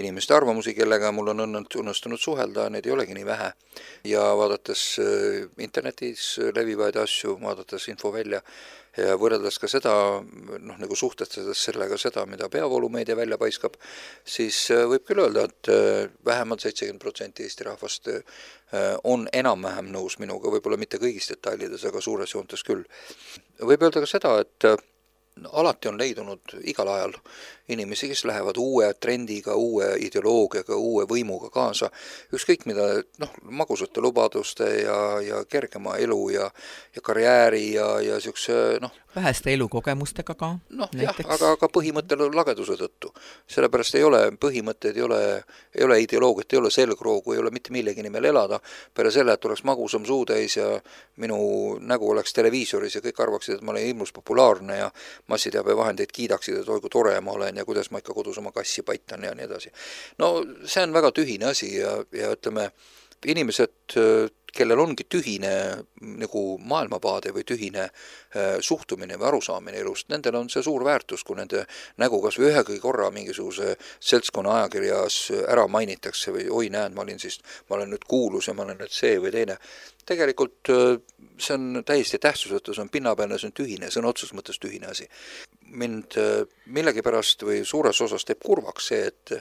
inimeste arvamusi, kellega mul on õnnestunud suhelda, need ei olegi nii vähe. Ja vaadates internetis levivaid asju, vaadates info välja ja võrreldes ka seda, noh, nagu suhtestades sellega seda, mida peavoolumeedia välja paiskab, siis võib küll öelda, et vähemalt seitsekümmend protsenti Eesti rahvast on enam-vähem nõus minuga, võib-olla mitte kõigis detailides, aga suures joontes küll. Võib öelda ka seda, et alati on leidunud igal ajal inimesi, kes lähevad uue trendiga, uue ideoloogiaga, uue võimuga kaasa. Ükskõik mida, noh, magusate lubaduste ja, ja kergema elu ja, ja karjääri ja, ja siukse, noh, väheste elukogemustega ka. Noh, jah, aga ka põhimõttel lageduse tõttu. Sellepärast ei ole põhimõtted, ei ole, ei ole ideoloogiat, ei ole selgroogu, ei ole mitte millegi nimel elada. Peale selle, et oleks magusam suutäis ja minu nägu oleks televiisoris ja kõik arvaksid, et ma olen ilmus populaarne ja massiteabevahendeid kiidaksid, et oi kui tore ma olen ja kuidas ma ikka kodus oma kassi paitan ja nii edasi. No see on väga tühine asi ja, ja ütleme, inimesed, kellel ongi tühine nagu maailmavaade või tühine suhtumine või arusaamine elust, nendel on see suur väärtus, kui nende nägu kas või ühegi korra mingisuguse seltskonna ajakirjas ära mainitakse või oi näed, ma olin siis, ma olen nüüd kuulus ja ma olen nüüd see või teine. Tegelikult see on täiesti tähtsusetu, see on pinnapealne, see on tühine, see on otsus mõttes tühine asi. Mind millegipärast või suures osas teeb kurvaks see, et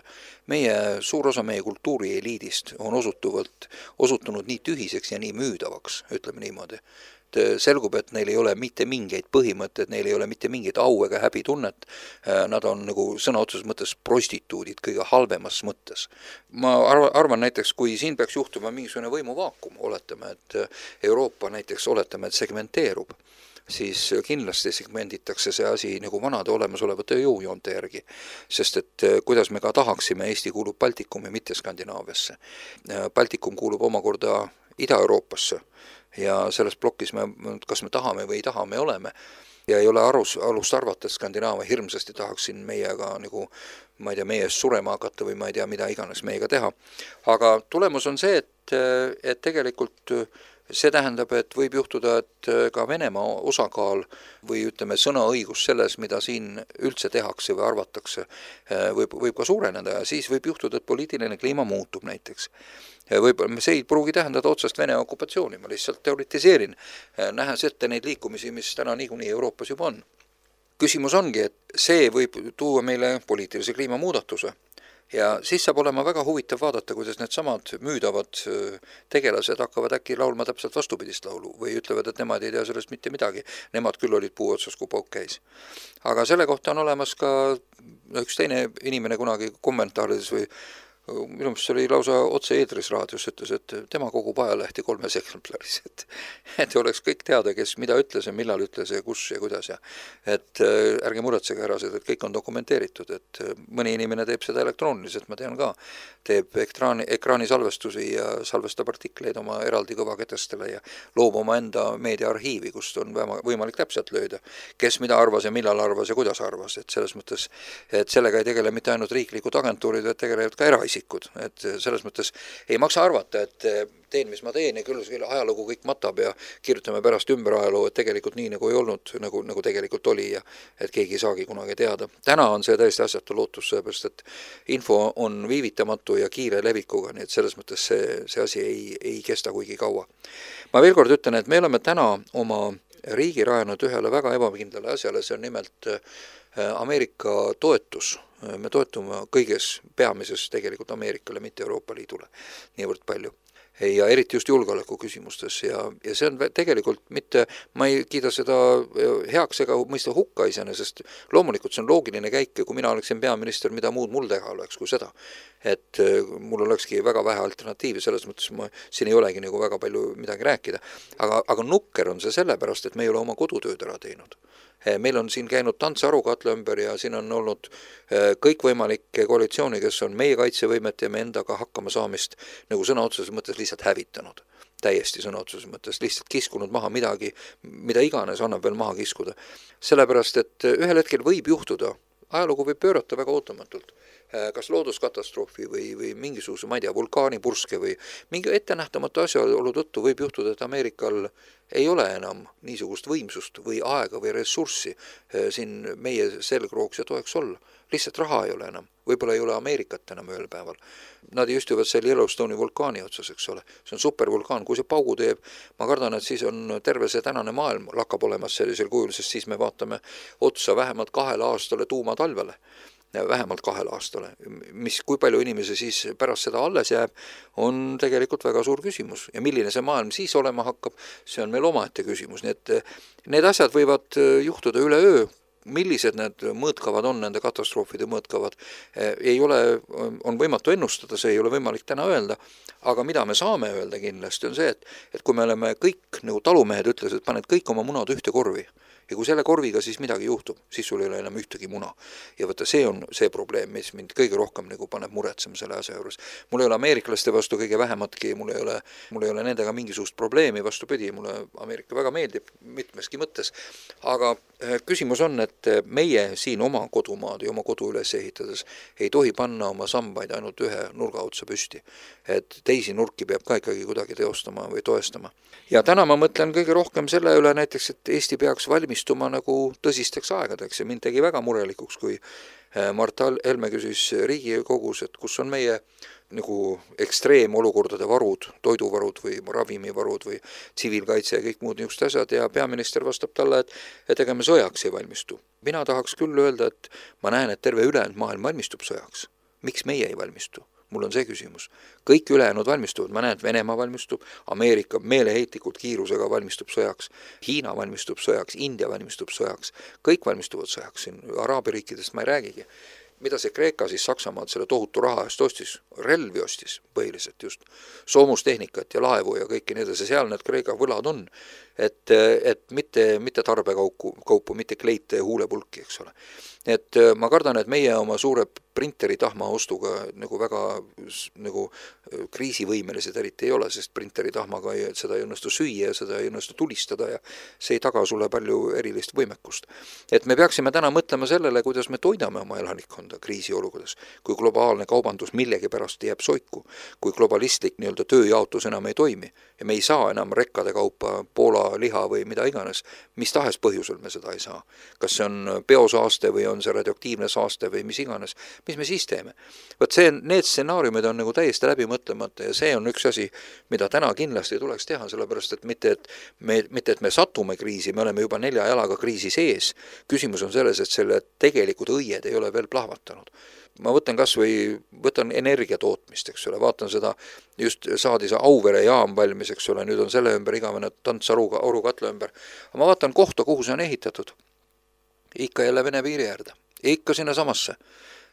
meie suur osa meie kultuuri eliidist on osutuvalt, osutunud nii tühiseks ja nii müüdavaks, ütleme niimoodi. Selgub, et neil ei ole mitte mingeid põhimõtted, neil ei ole mitte mingeid au ega häbitunnet. Nad on nagu sõna otseses mõttes prostituudid kõige halvemas mõttes. Ma arvan näiteks, kui siin peaks juhtuma mingisugune võimuvaakum, oletame, et Euroopa näiteks oletame, et segmenteerub, siis kindlasti segmenditakse see asi nagu vanade olemasolevate jõujoonte järgi. Sest et kuidas me ka tahaksime, Eesti kuulub Baltikumi, mitte Skandinaaviasse. Baltikum kuulub omakorda Ida-Euroopasse ja selles plokis me, kas me tahame või ei taha, me oleme. Ja ei ole arus, alust arvata, et Skandinaavia hirmsasti tahaksin meiega nagu, ma ei tea, meie eest surema hakata või ma ei tea, mida iganes meiega teha. Aga tulemus on see, et, et tegelikult see tähendab, et võib juhtuda, et ka Venemaa osakaal või ütleme sõnaõigus selles, mida siin üldse tehakse või arvatakse, võib, võib ka suureneda ja siis võib juhtuda, et poliitiline kliima muutub näiteks. Võib-olla see ei pruugi tähendada otsast Vene okupatsiooni, ma lihtsalt teoritiseerin, nähes ette neid liikumisi, mis täna niikuinii Euroopas juba on. Küsimus ongi, et see võib tuua meile poliitilise kliima muudatuse. Ja siis saab olema väga huvitav vaadata, kuidas need samad müüdavad tegelased hakkavad äkki laulma täpselt vastupidist laulu või ütlevad, et nemad ei tea sellest mitte midagi. Nemad küll olid puu otsas, kui pauk käis. Aga selle kohta on olemas ka üks teine inimene kunagi kommentaarides või minu meelest oli lausa otse eetris raadios, ütles, et tema kogub ajalehti kolmes eksemplaris, et, et oleks kõik teada, kes mida ütles ja millal ütles ja kus ja kuidas ja et ärge muretsege ära seda, et kõik on dokumenteeritud, et mõni inimene teeb seda elektrooniliselt, ma tean ka, teeb ekraani, ekraani salvestusi ja salvestab artikleid oma eraldi kõvaketestele ja loob oma enda meediaarhiivi, kust on võimalik täpselt lööda, kes mida arvas ja millal arvas ja kuidas arvas, et selles mõttes, et sellega ei tegele mitte ainult riiklikud agentuurid, et tegelevad ka eraisi et selles mõttes ei maksa arvata, et teen, mis ma teen ja küll ajalugu kõik matab ja kirjutame pärast ümber ajaloo, et tegelikult nii nagu ei olnud, nagu, nagu tegelikult oli ja et keegi ei saagi kunagi teada. Täna on see täiesti asjatu lootus, seepärast, et info on viivitamatu ja kiire levikuga, nii et selles mõttes see, see asi ei, ei kesta kuigi kaua. Ma veel kord ütlen, et me oleme täna oma riigi rajanud ühele väga ebakindlale asjale, see on nimelt Ameerika toetus. Me toetume kõiges peamises tegelikult Ameerikale, mitte Euroopa Liidule niivõrd palju. ja eriti just julgeoleku küsimustes ja, ja see on tegelikult mitte, ma ei kiida seda heaks ega mõista hukka iseenesest, loomulikult see on loogiline käik ja kui mina oleksin peaminister, mida muud mul teha oleks kui seda. Et mul olekski väga vähe alternatiivi, selles mõttes ma, siin ei olegi nagu väga palju midagi rääkida. Aga, aga nukker on see sellepärast, et me ei ole oma kodutööd ära teinud. Meil on siin käinud tants arukatla ümber ja siin on olnud kõikvõimalikke koalitsiooni, kes on meie kaitsevõimet ja me endaga hakkama saamist nagu sõna otseses mõttes lihtsalt hävitanud. Täiesti sõna otseses mõttes, lihtsalt kiskunud maha midagi, mida iganes annab veel maha kiskuda. Sellepärast, et ühel hetkel võib juhtuda, ajalugu võib pöörata väga ootamatult, kas looduskatastroofi või, või mingisuguse, ma ei tea, vulkaanipurske või mingi ettenähtamatu asjaolu tõttu võib juhtuda, et Ameerikal ei ole enam niisugust võimsust või aega või ressurssi siin meie selgrooks ja toeks olla. Lihtsalt raha ei ole enam. Võib-olla ei ole Ameerikat enam ühel päeval. Nad istuvad seal Yellowstone'i vulkaani otsas, eks ole. See on supervulkaan. Kui see paugu teeb, ma kardan, et siis on terve see tänane maailm lakkab olemas sellisel kujul, sest siis me vaatame otsa vähemalt kahele aastale tuumatalvele. Vähemalt kahel aastale, mis kui palju inimesi siis pärast seda alles jääb, on tegelikult väga suur küsimus. Ja milline see maailm siis olema hakkab, see on meil omaette küsimus. Nii et need asjad võivad juhtuda üle öö, millised need mõõtkavad on, nende katastroofide mõõtkavad, ei ole, on võimatu ennustada, see ei ole võimalik täna öelda, aga mida me saame öelda kindlasti on see, et, et kui me oleme kõik, nagu talumehed ütles, et paned kõik oma munad ühte korvi, ja kui selle korviga siis midagi juhtub, siis sul ei ole enam ühtegi muna. Ja võtta, see on see probleem, mis mind kõige rohkem nagu paneb muretsema selle asja juures. Mul ei ole ameeriklaste vastu kõige vähematki, mul ei ole, mul ei ole nendega mingisugust probleemi, vastupidi, mulle Ameerika väga meeldib mitmeski mõttes. Aga küsimus on, et meie siin oma kodumaad ja oma kodu üles ehitades ei tohi panna oma sambaid ainult ühe nurga otsa püsti. Et teisi nurki peab ka ikkagi kuidagi teostama või toestama. Ja täna ma mõtlen kõige rohkem selle üle näiteks, et Eesti peaks valmistuma nagu tõsisteks aegadeks ja mind tegi väga murelikuks, kui Mart Helme küsis Riigikogus, et kus on meie nagu ekstreemolukordade varud, toiduvarud või ravimivarud või tsiviilkaitse ja kõik muud niisugused asjad ja peaminister vastab talle, et, et ega me sõjaks ei valmistu. Mina tahaks küll öelda, et ma näen, et terve ülejäänud maailm valmistub sõjaks. Miks meie ei valmistu? Mul on see küsimus. Kõik ülejäänud valmistuvad, ma näen, et Venemaa valmistub, Ameerika meeleheitlikult kiirusega valmistub sõjaks, Hiina valmistub sõjaks, India valmistub sõjaks, kõik valmistuvad sõjaks, siin Araabia riikidest ma ei räägigi. Mida see Kreeka siis Saksamaad selle tohutu raha eest ostis? Relvi ostis põhiliselt just, soomustehnikat ja laevu ja kõiki need, seal need Kreeka võlad on, et, et mitte, mitte tarbekaupu, kaupu, mitte kleite ja huulepulki, eks ole. Et ma kardan, et meie oma suure printeri tahma ostuga nagu väga nagu kriisivõimelised eriti ei ole, sest printeri tahmaga ei, seda ei õnnestu süüa ja seda ei õnnestu tulistada ja see ei taga sulle palju erilist võimekust. Et me peaksime täna mõtlema sellele, kuidas me toidame oma elanikkonda kriisiolukordades, kui globaalne kaubandus millegi pärast jääb soiku, kui globalistlik nii-öelda tööjaotus enam ei toimi ja me ei saa enam rekkade kaupa Poola liha või mida iganes, mis tahes põhjusel me seda ei saa. Kas see on biosaaste või on see radioaktiivne saaste või mis iganes, mis me siis teeme? Võt see, need stsenaariumid on nagu täiesti läbi mõtlemata ja see on üks asi, mida täna kindlasti tuleks teha, sellepärast et mitte, et me, mitte, et me satume kriisi, me oleme juba nelja jalaga kriisi sees. Küsimus on selles, et selle tegelikud õied ei ole veel plahvatanud. Ma võtan kas või, võtan energiatootmist, eks ole, vaatan seda, just saadi see Auvere jaam valmis, eks ole, nüüd on selle ümber igavene tants aruga, arukatla ümber. Ma vaatan kohta, kuhu see on ehitatud. Ikka jälle Vene piiri äärde. Ikka sinna samasse.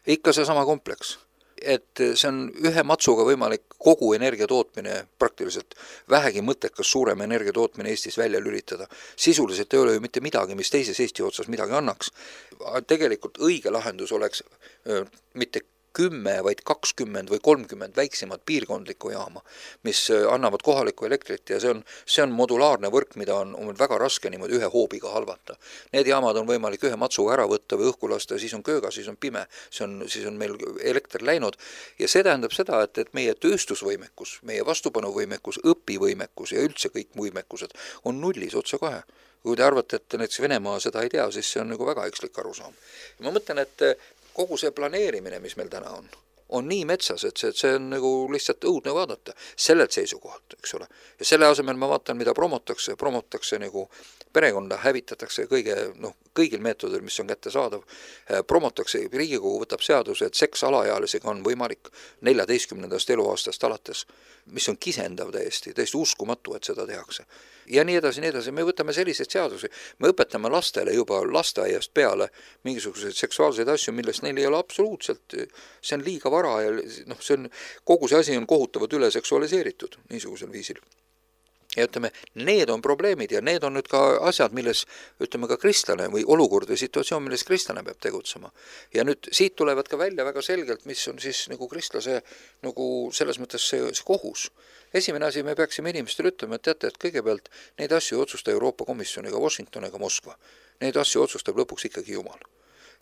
Ikka see sama kompleks. Et see on ühe matsuga võimalik kogu energiatootmine praktiliselt vähegi mõttekas suurem energiatootmine Eestis välja lülitada. Sisuliselt ei ole ju mitte midagi, mis teises Eesti otsas midagi annaks. Tegelikult õige lahendus oleks mitte kümme, vaid kakskümmend või kolmkümmend väiksemad piirkondlikku jaama, mis annavad kohalikku elektrit ja see on, see on modulaarne võrk, mida on, on väga raske niimoodi ühe hoobiga halvata. Need jaamad on võimalik ühe matsuga ära võtta või õhku lasta, siis on kööga, siis on pime, see on, siis on meil elekter läinud ja see tähendab seda, et, et meie tööstusvõimekus, meie vastupanuvõimekus, õpivõimekus ja üldse kõik võimekused on nullis otse kohe. Kui te arvate, et näiteks Venemaa seda ei tea, siis see on nagu väga ekslik arusaam. Ma mõtlen, et kogu see planeerimine, mis meil täna on, on nii metsas, et see, et see on nagu lihtsalt õudne vaadata sellelt seisukohalt, eks ole. Ja selle asemel ma vaatan, mida promotakse, promotakse nagu perekonda, hävitatakse kõige, noh, kõigil meetodil, mis on kätte saadav, promotakse, Riigikogu võtab seaduse, et seks alaealisega on võimalik neljateistkümnendast eluaastast alates, mis on kisendav täiesti, täiesti uskumatu, et seda tehakse. Ja nii edasi, nii edasi, me võtame selliseid seadusi, me õpetame lastele juba lasteaiast peale mingisuguseid seksuaalseid asju, millest neil ei ole absoluutselt, see on liiga vara ja noh, see on, kogu see asi on kohutavalt üle seksualiseeritud niisugusel viisil. Ja ütleme, need on probleemid ja need on nüüd ka asjad, milles, ütleme ka kristlane või olukord või situatsioon, milles kristlane peab tegutsema. Ja nüüd siit tulevad ka välja väga selgelt, mis on siis nagu kristlase nagu selles mõttes see, see kohus. Esimene asi, me peaksime inimestele ütlema, et teate, et kõigepealt neid asju otsusta Euroopa Komisjon ega Washington ega Moskva. Neid asju otsustab lõpuks ikkagi Jumal.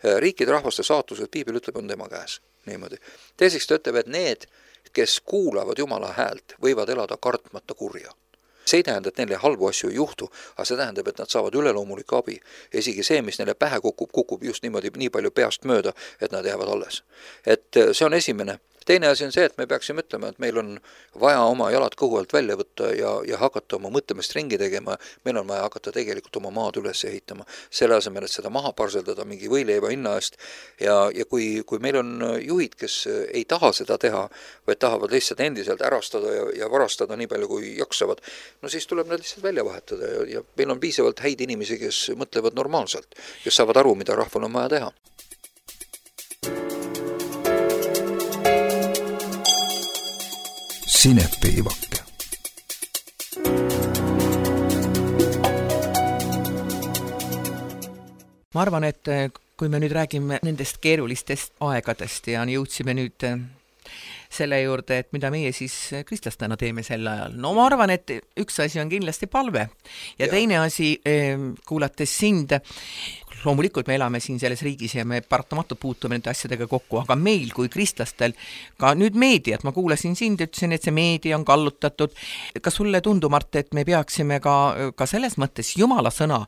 Riikide rahvaste saatused, piibel ütleb, on tema käes. Niimoodi. Teiseks ta ütleb, et need, kes kuulavad Jumala häält, võivad elada kartmata kurja. See ei tähenda, et neile halbu asju ei juhtu, aga see tähendab, et nad saavad üleloomulik abi. Ja isegi see, mis neile pähe kukub, kukub just niimoodi nii palju peast mööda, et nad jäävad alles. Et see on esimene. Teine asi on see, et me peaksime ütlema, et meil on vaja oma jalad kõhu alt välja võtta ja, ja hakata oma mõtlemist ringi tegema. Meil on vaja hakata tegelikult oma maad üles ehitama. Selle asemel, et seda maha parseldada mingi võileiva hinna eest. Ja, ja kui, kui meil on juhid, kes ei taha seda teha, vaid tahavad lihtsalt endiselt ärastada ja, ja varastada nii palju, kui jaksavad, no siis tuleb nad lihtsalt välja vahetada ja, ja meil on piisavalt häid inimesi, kes mõtlevad normaalselt, kes saavad aru, mida rahval on vaja teha. Sinepiivakke. Ma arvan, et kui me nüüd räägime nendest keerulistest aegadest ja jõudsime nüüd selle juurde, et mida meie siis kristlastena teeme sel ajal. No ma arvan, et üks asi on kindlasti palve ja, ja. teine asi, kuulates sind, loomulikult me elame siin selles riigis ja me paratamatult puutume nende asjadega kokku, aga meil kui kristlastel, ka nüüd meediat, ma kuulasin sind, ütlesin, et see meedia on kallutatud. Kas sulle tundub, Mart, et me peaksime ka, ka selles mõttes Jumala sõna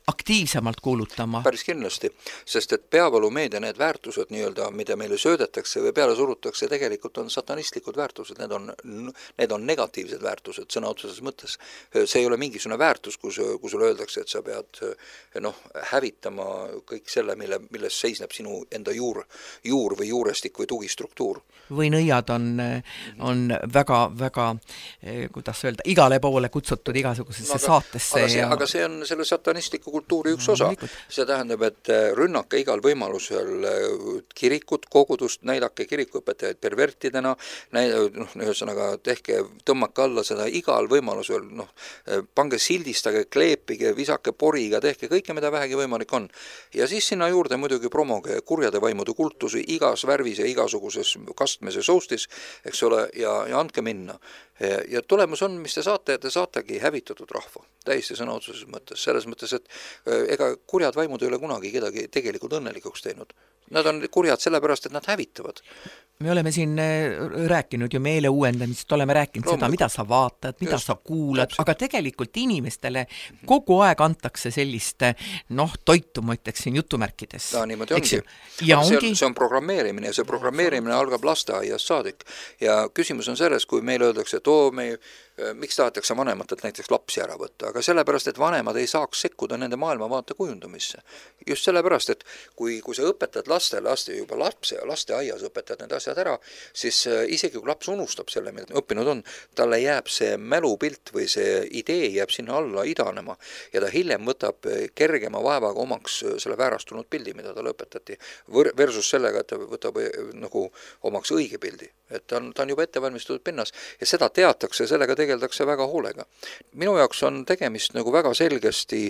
aktiivsemalt kuulutama? Päris kindlasti, sest et peavalumeedia need väärtused, nii-öelda, mida meile söödetakse või peale surutakse, tegelikult on satanistlikud väärtused, need on, need on negatiivsed väärtused sõna otseses mõttes. See ei ole mingisugune väärtus, kus, kus sulle öeldakse, et sa pead noh, hävitama kõik selle, mille, milles seisneb sinu enda juur, juur või juurestik või tugistruktuur. Või nõiad on, on väga, väga, kuidas öelda, igale poole kutsutud igasugusesse no, aga, saatesse. Aga see, ja... aga see on selle satanistliku kultuuri üks osa. No, see tähendab, et rünnake igal võimalusel kirikut, kogudust, näidake kirikuõpetajaid pervertidena, noh, ühesõnaga tehke, tõmmake alla seda igal võimalusel, noh, pange sildistage, kleepige, visake poriga, tehke kõike, mida vähegi võimalik on. Ja siis sinna juurde muidugi promoge kurjade vaimude kultusi igas värvis ja igasuguses kastmes ja soustis, eks ole, ja, ja andke minna. Ja tulemus on, mis te saate, te saategi hävitatud rahva, täiesti sõna otseses mõttes, selles mõttes, et ega kurjad vaimud ei ole kunagi kedagi tegelikult õnnelikuks teinud. Nad on kurjad sellepärast, et nad hävitavad. Me oleme siin rääkinud ju meele uuendamist, oleme rääkinud Loomulikult. Seda, mida sa vaatad, mida Just, sa kuulad, täpselt. Aga tegelikult inimestele kogu aeg antakse sellist noh, toitu, ma ütleksin jutumärkides. Ta niimoodi ongi. Ja ongi... See, on, see on programmeerimine ja see programmeerimine algab lasteaiast saadik. Ja küsimus on selles, kui meile öeldakse, et oo, me miks tahetakse vanematelt näiteks lapsi ära võtta, aga sellepärast, et vanemad ei saaks sekkuda nende maailmavaate kujundamisse. Just sellepärast, et kui, kui sa õpetad lastele, laste juba lapse ja lasteaias õpetad need asjad ära, siis isegi kui laps unustab selle, mida õppinud on, talle jääb see mälupilt või see idee jääb sinna alla idanema ja ta hiljem võtab kergema vaevaga omaks selle väärastunud pildi, mida talle õpetati, versus sellega, et ta võtab nagu omaks õige pildi. Et ta on, ta on juba ettevalmistatud pinnas ja seda teatakse, sellega tegeldakse väga hoolega. Minu jaoks on tegemist nagu väga selgesti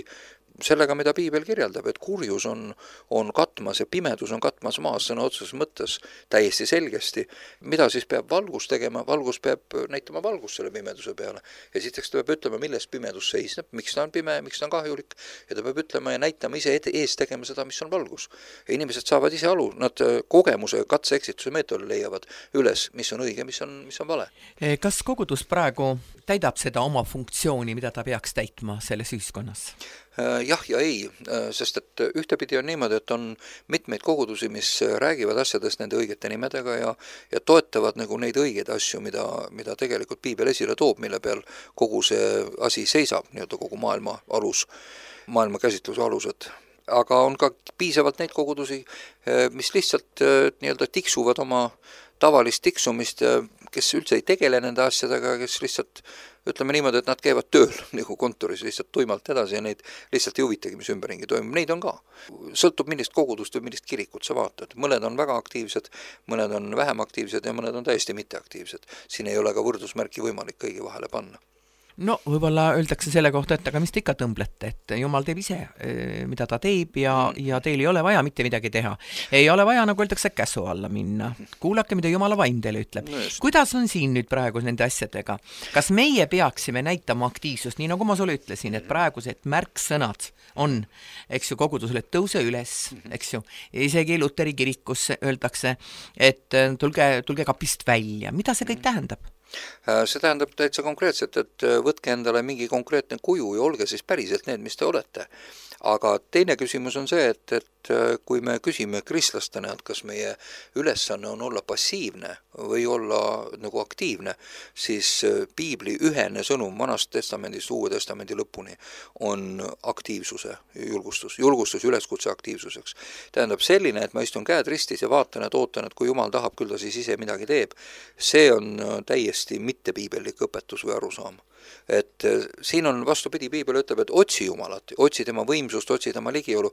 sellega, mida piibel kirjeldab, et kurjus on, on katmas ja pimedus on katmas maas sõna otseses mõttes täiesti selgesti. Mida siis peab valgus tegema? Valgus peab näitama valgus selle pimeduse peale. Ja siteks ta peab ütlema, milles pimedus seisneb, miks ta on pime, miks ta on kahjulik. Ja ta peab ütlema ja näitama ise ees tegema seda, mis on valgus. Ja inimesed saavad ise alu, nad kogemuse, katse-eksituse meetodil leiavad üles, mis on õige, mis on, mis on vale. Kas kogudus praegu täidab seda oma funktsiooni, mida ta peaks täitma selles ühiskonnas? jah ja ei, sest et ühtepidi on niimoodi, et on mitmeid kogudusi, mis räägivad asjadest nende õigete nimedega ja, ja toetavad nagu neid õigeid asju, mida, mida tegelikult piibel esile toob, mille peal kogu see asi seisab, nii-öelda kogu maailma alus, maailma käsitluse alused. Aga on ka piisavalt neid kogudusi, mis lihtsalt nii-öelda tiksuvad oma tavalist tiksumist, kes üldse ei tegele nende asjadega, kes lihtsalt, ütleme niimoodi, et nad käivad tööl nagu kontoris lihtsalt tuimalt edasi ja neid lihtsalt ei huvitagi, mis ümberringi toimub. Neid on ka. Sõltub millist kogudust või millist kirikut sa vaatad. Mõned on väga aktiivsed, mõned on vähem aktiivsed ja mõned on täiesti mitteaktiivsed. Siin ei ole ka võrdusmärki võimalik kõigi vahele panna. No võib-olla öeldakse selle kohta, et aga mis te ikka tõmblete, et Jumal teeb ise, mida ta teeb ja, ja teil ei ole vaja mitte midagi teha. Ei ole vaja, nagu öeldakse, käsu alla minna. Kuulake, mida Jumala vaim teile ütleb. No kuidas on siin nüüd praegu nende asjadega? Kas meie peaksime näitama aktiivsust, nii nagu ma sulle ütlesin, et praegused märksõnad on, eks ju, kogudusele tõuse üles, eks ju, isegi Luteri kirikus öeldakse, et tulge, tulge kapist välja. Mida see kõik tähendab? See tähendab täitsa konkreetselt, et võtke endale mingi konkreetne kuju ja olge siis päriselt need, mis te olete. Aga teine küsimus on see, et, et kui me küsime kristlastena, et kas meie ülesanne on olla passiivne või olla nagu aktiivne, siis piibli ühene sõnum Vanast testamendist Uue testamendi lõpuni on aktiivsuse julgustus, julgustus üleskutse aktiivsuseks. Tähendab selline, et ma istun käed ristis ja vaatan, et ootan, et kui Jumal tahab, küll ta siis ise midagi teeb. See on täiesti mitte piibellik õpetus või arusaam. Et siin on vastupidi, piibel ütleb, et otsi Jumalat, otsi tema võimsust, otsi tema ligiolu.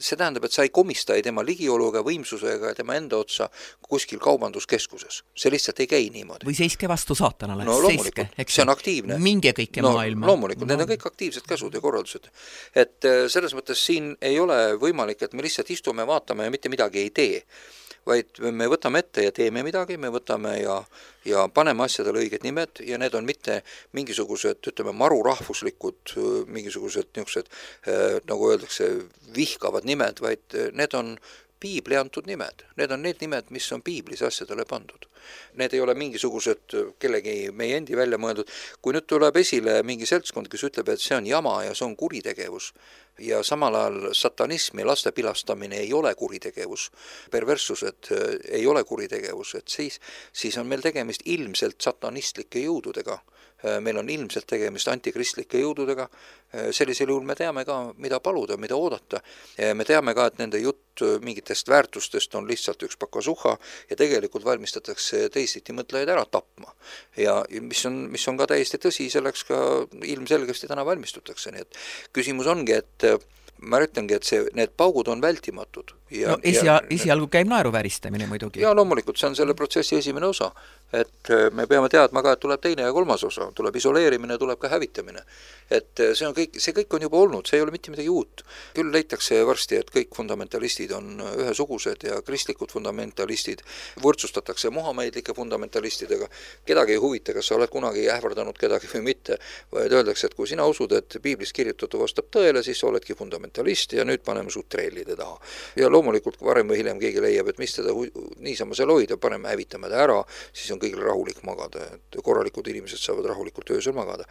See tähendab, et sa ei komista ei tema ligioluga, võimsusega ja tema enda otsa kuskil kaubanduskeskuses. See lihtsalt ei käi niimoodi. Või seiske vastu saatanale. No loomulikult, see on aktiivne. Minge kõike no, maailma. Loomulikult, need on kõik aktiivsed käsud ja korraldused. Et selles mõttes siin ei ole võimalik, et me lihtsalt istume, vaatame ja mitte midagi ei tee. Vaid me võtame ette ja teeme midagi, me võtame ja, ja paneme asjadele õiged nimed ja need on mitte mingisugused, ütleme, marurahvuslikud, mingisugused niisugused, nagu öeldakse, vihkavad nimed, vaid need on piibli antud nimed. Need on need nimed, mis on piiblis asjadele pandud. Need ei ole mingisugused kellegi meie endi välja mõeldud. Kui nüüd tuleb esile mingi seltskond, kes ütleb, et see on jama ja see on kuritegevus, ja samal ajal satanism ja laste pilastamine ei ole kuritegevus, perverssused ei ole kuritegevus, et siis, siis on meil tegemist ilmselt satanistlike jõududega. Meil on ilmselt tegemist antikristlike jõududega. Sellisel juhul me teame ka, mida paluda, mida oodata. Me teame ka, et nende jutt mingitest väärtustest on lihtsalt üks pakasuha ja tegelikult valmistatakse teisiti mõtlejaid ära tapma. Ja mis on, mis on ka täiesti tõsi, selleks ka ilmselgesti täna valmistutakse. Nii et küsimus ongi, et ma ütlengi, et see, need paugud on vältimatud. Ja, no esia, esialgu käib naeruvääristamine muidugi. Ja loomulikult, see on selle protsessi esimene osa. Et me peame teadma ka, et tuleb teine ja kolmas osa. Tuleb isoleerimine, tuleb ka hävitamine. Et see, on kõik, see kõik on juba olnud, see ei ole mitte midagi uut. Küll leitakse varsti, et kõik fundamentalistid on ühesugused ja kristlikud fundamentalistid võrdsustatakse muhameidlike fundamentalistidega. Kedagi ei huvita, kas sa oled kunagi ähvardanud kedagi või mitte. Vaid öeldakse, et kui sina usud, et piiblis kirjutatu vastab tõele, siis sa oledki fundamentalist ja nüüd paneme suht trellide taha. Ja loomulikult varem või hiljem keegi leiab, et mis teda niisama seal hoida, paneme hävitame ta ära, siis on kõigil rahulik magada, et korralikud inimesed saavad rahulikult öösel magada.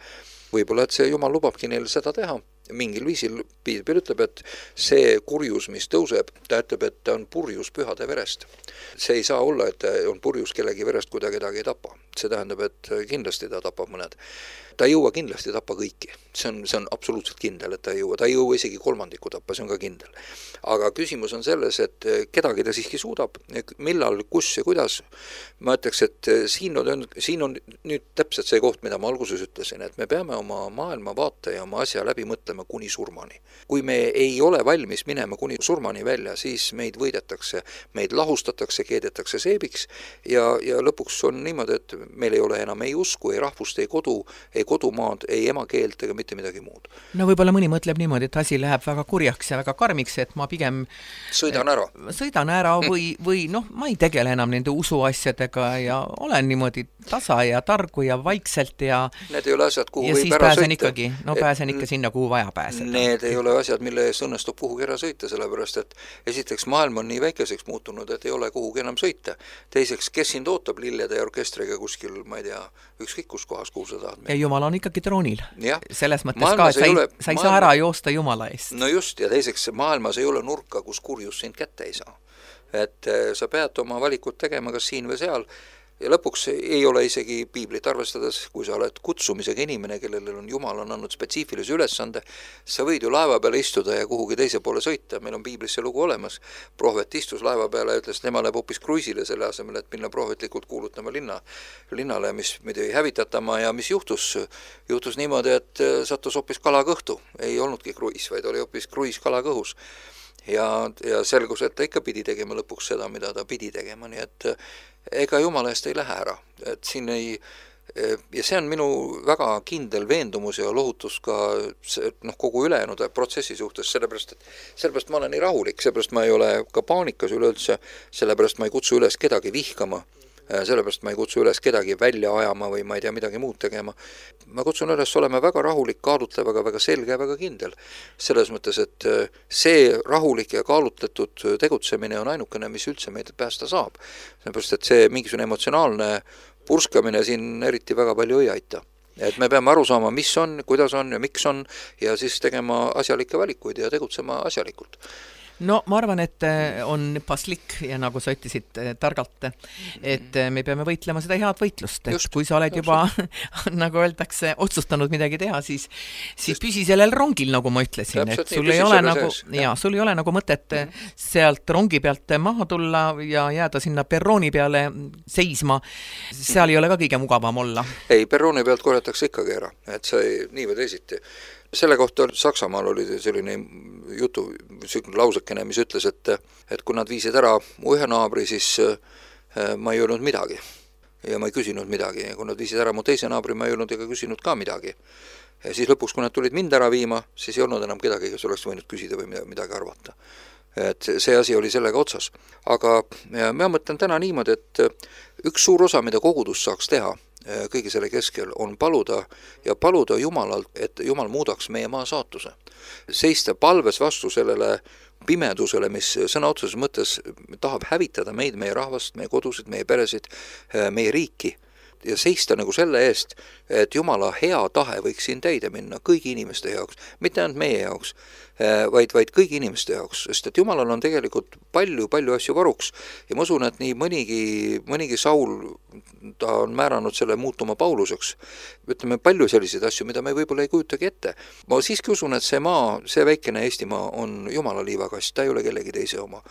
Võib-olla, et see Jumal lubabki neil seda teha. Mingil viisil piibel ütleb, et see kurjus, mis tõuseb, ta ütleb, et ta on purjus pühade verest. See ei saa olla, et on purjus kellegi verest, kui ta kedagi ei tapa. See tähendab, et kindlasti ta tapab mõned. Ta ei jõua kindlasti tappa kõiki. See on, see on absoluutselt kindel, et ta ei jõua. Ta ei jõua isegi kolmandiku tappa, see on ka kindel. Aga küsimus on selles, et kedagi ta siiski suudab, millal, kus ja kuidas. Ma ütleks, et siin on, siin on nüüd täpselt see koht, mida ma alguses ütlesin, et me peame oma maailma vaate ja oma asja läbi mõtlema kuni surmani. Kui me ei ole valmis minema kuni surmani välja, siis meid võidetakse, meid lahustatakse, keedetakse seebiks ja, ja lõpuks on niimoodi, et meil ei ole enam ei usku, ei rahvust, ei kodu, ei kodumaad, ei emakeelt ega mitte midagi muud. No võib-olla mõni mõtleb niimoodi, et asi läheb väga kurjaks ja väga karmiks, et ma pigem sõidan ära, sõidan ära või, või noh, ma ei tegele enam nende usuasjadega ja olen niimoodi tasa ja targu ja vaikselt ja need ei ole asjad, kuhu ja võib siis ära pääsen sõita. Ikkagi, no pääsen ikka sinna, kuhu vaja pääseda. Need ei ole asjad, mille eest õnnestub kuhugi ära sõita, sellepärast et esiteks maailm on nii väikeseks muutunud, et ei ole kuhugi enam sõita. Teiseks, kes sind ootab lillede ja orkestriga, kus kuskil, ma ei tea, ükskõik kus kohas, kuhu sa tahad. Ja Jumal on ikkagi troonil. Ja. Selles mõttes maailmas ka, et sa ei, ole, sa ei maailma... saa ära joosta Jumala eest. No just, ja teiseks, maailmas ei ole nurka, kus kurjus sind kätte ei saa. Et sa pead oma valikut tegema kas siin või seal, ja lõpuks ei ole isegi piiblit arvestades, kui sa oled kutsumisega inimene, kellel on Jumal on andnud spetsiifilise ülesande, sa võid ju laeva peale istuda ja kuhugi teise poole sõita, meil on piiblis see lugu olemas. Prohvet istus laeva peale ja ütles, et tema läheb hoopis kruisile selle asemel, et minna prohvetlikult kuulutama linna, linnale, mis midagi hävitatama ja mis juhtus? Juhtus niimoodi, et sattus hoopis kalakõhtu. Ei olnudki kruis, vaid oli hoopis kruis kalakõhus. Ja, ja selgus, et ta ikka pidi tegema lõpuks seda, mida ta pidi tegema, nii et ega Jumala eest ei lähe ära. Et siin ei, ja see on minu väga kindel veendumus ja lohutus ka noh, kogu ülejäänud protsessi suhtes, sellepärast, et sellepärast ma olen nii rahulik, sellepärast ma ei ole ka paanikas üleüldse, sellepärast ma ei kutsu üles kedagi vihkama, sellepärast ma ei kutsu üles kedagi välja ajama või ma ei tea midagi muud tegema. Ma kutsun üles olema väga rahulik, kaalutlev, aga väga selge ja väga kindel. Selles mõttes, et see rahulik ja kaalutletud tegutsemine on ainukene, mis üldse meid päästa saab. Sellepärast, et see mingisugune emotsionaalne purskamine siin eriti väga palju ei aita. Et me peame aru saama, mis on, kuidas on ja miks on ja siis tegema asjalikke valikuid ja tegutsema asjalikult. No ma arvan, et on paslik ja nagu sa ütlesid targalt, et me peame võitlema seda head võitlust, et just, kui sa oled juba, nagu öeldakse, otsustanud midagi teha, siis, siis püsi sellel rongil, nagu ma ütlesin, et sul ei ole nagu, ja, sul ei ole nagu mõtet sealt rongi pealt maha tulla ja jääda sinna perrooni peale seisma, seal ei ole ka kõige mugavam olla. Ei, perrooni pealt korjatakse ikkagi ära, et sa ei, nii või teisiti. Selle kohta Saksamaal oli selline jutu, selline lausekene, mis ütles, et, et kui nad viisid ära mu ühe naabri, siis ma ei öelnud midagi. Ja ma ei küsinud midagi. Ja kui nad viisid ära mu teise naabri, ma ei öelnud ega küsinud ka midagi. Ja siis lõpuks, kui nad tulid mind ära viima, siis ei olnud enam kedagi, kes oleks võinud küsida või midagi arvata. Et see asi oli sellega otsas. Aga ma mõtlen täna niimoodi, et üks suur osa, mida kogudus saaks teha, kõigi selle keskel on paluda ja paluda Jumalalt, et Jumal muudaks meie maa saatuse. Seista palves vastu sellele pimedusele, mis sõna otseses mõttes tahab hävitada meid, meie rahvast, meie kodusid, meie peresid, meie riiki. Ja seista nagu selle eest, et Jumala hea tahe võiks siin täide minna kõigi inimeste jaoks, mitte ainult meie jaoks, vaid, vaid kõigi inimeste jaoks, sest et Jumalal on tegelikult palju, palju asju varuks ja ma usun, et nii mõnigi, mõnigi Saul, ta on määranud selle muutuma Pauluseks. Ütleme palju selliseid asju, mida me võib-olla ei kujutagi ette. Ma siiski usun, et see maa, see väikene Eestimaa on Jumala liivakast, ta ei ole kellegi teise oma.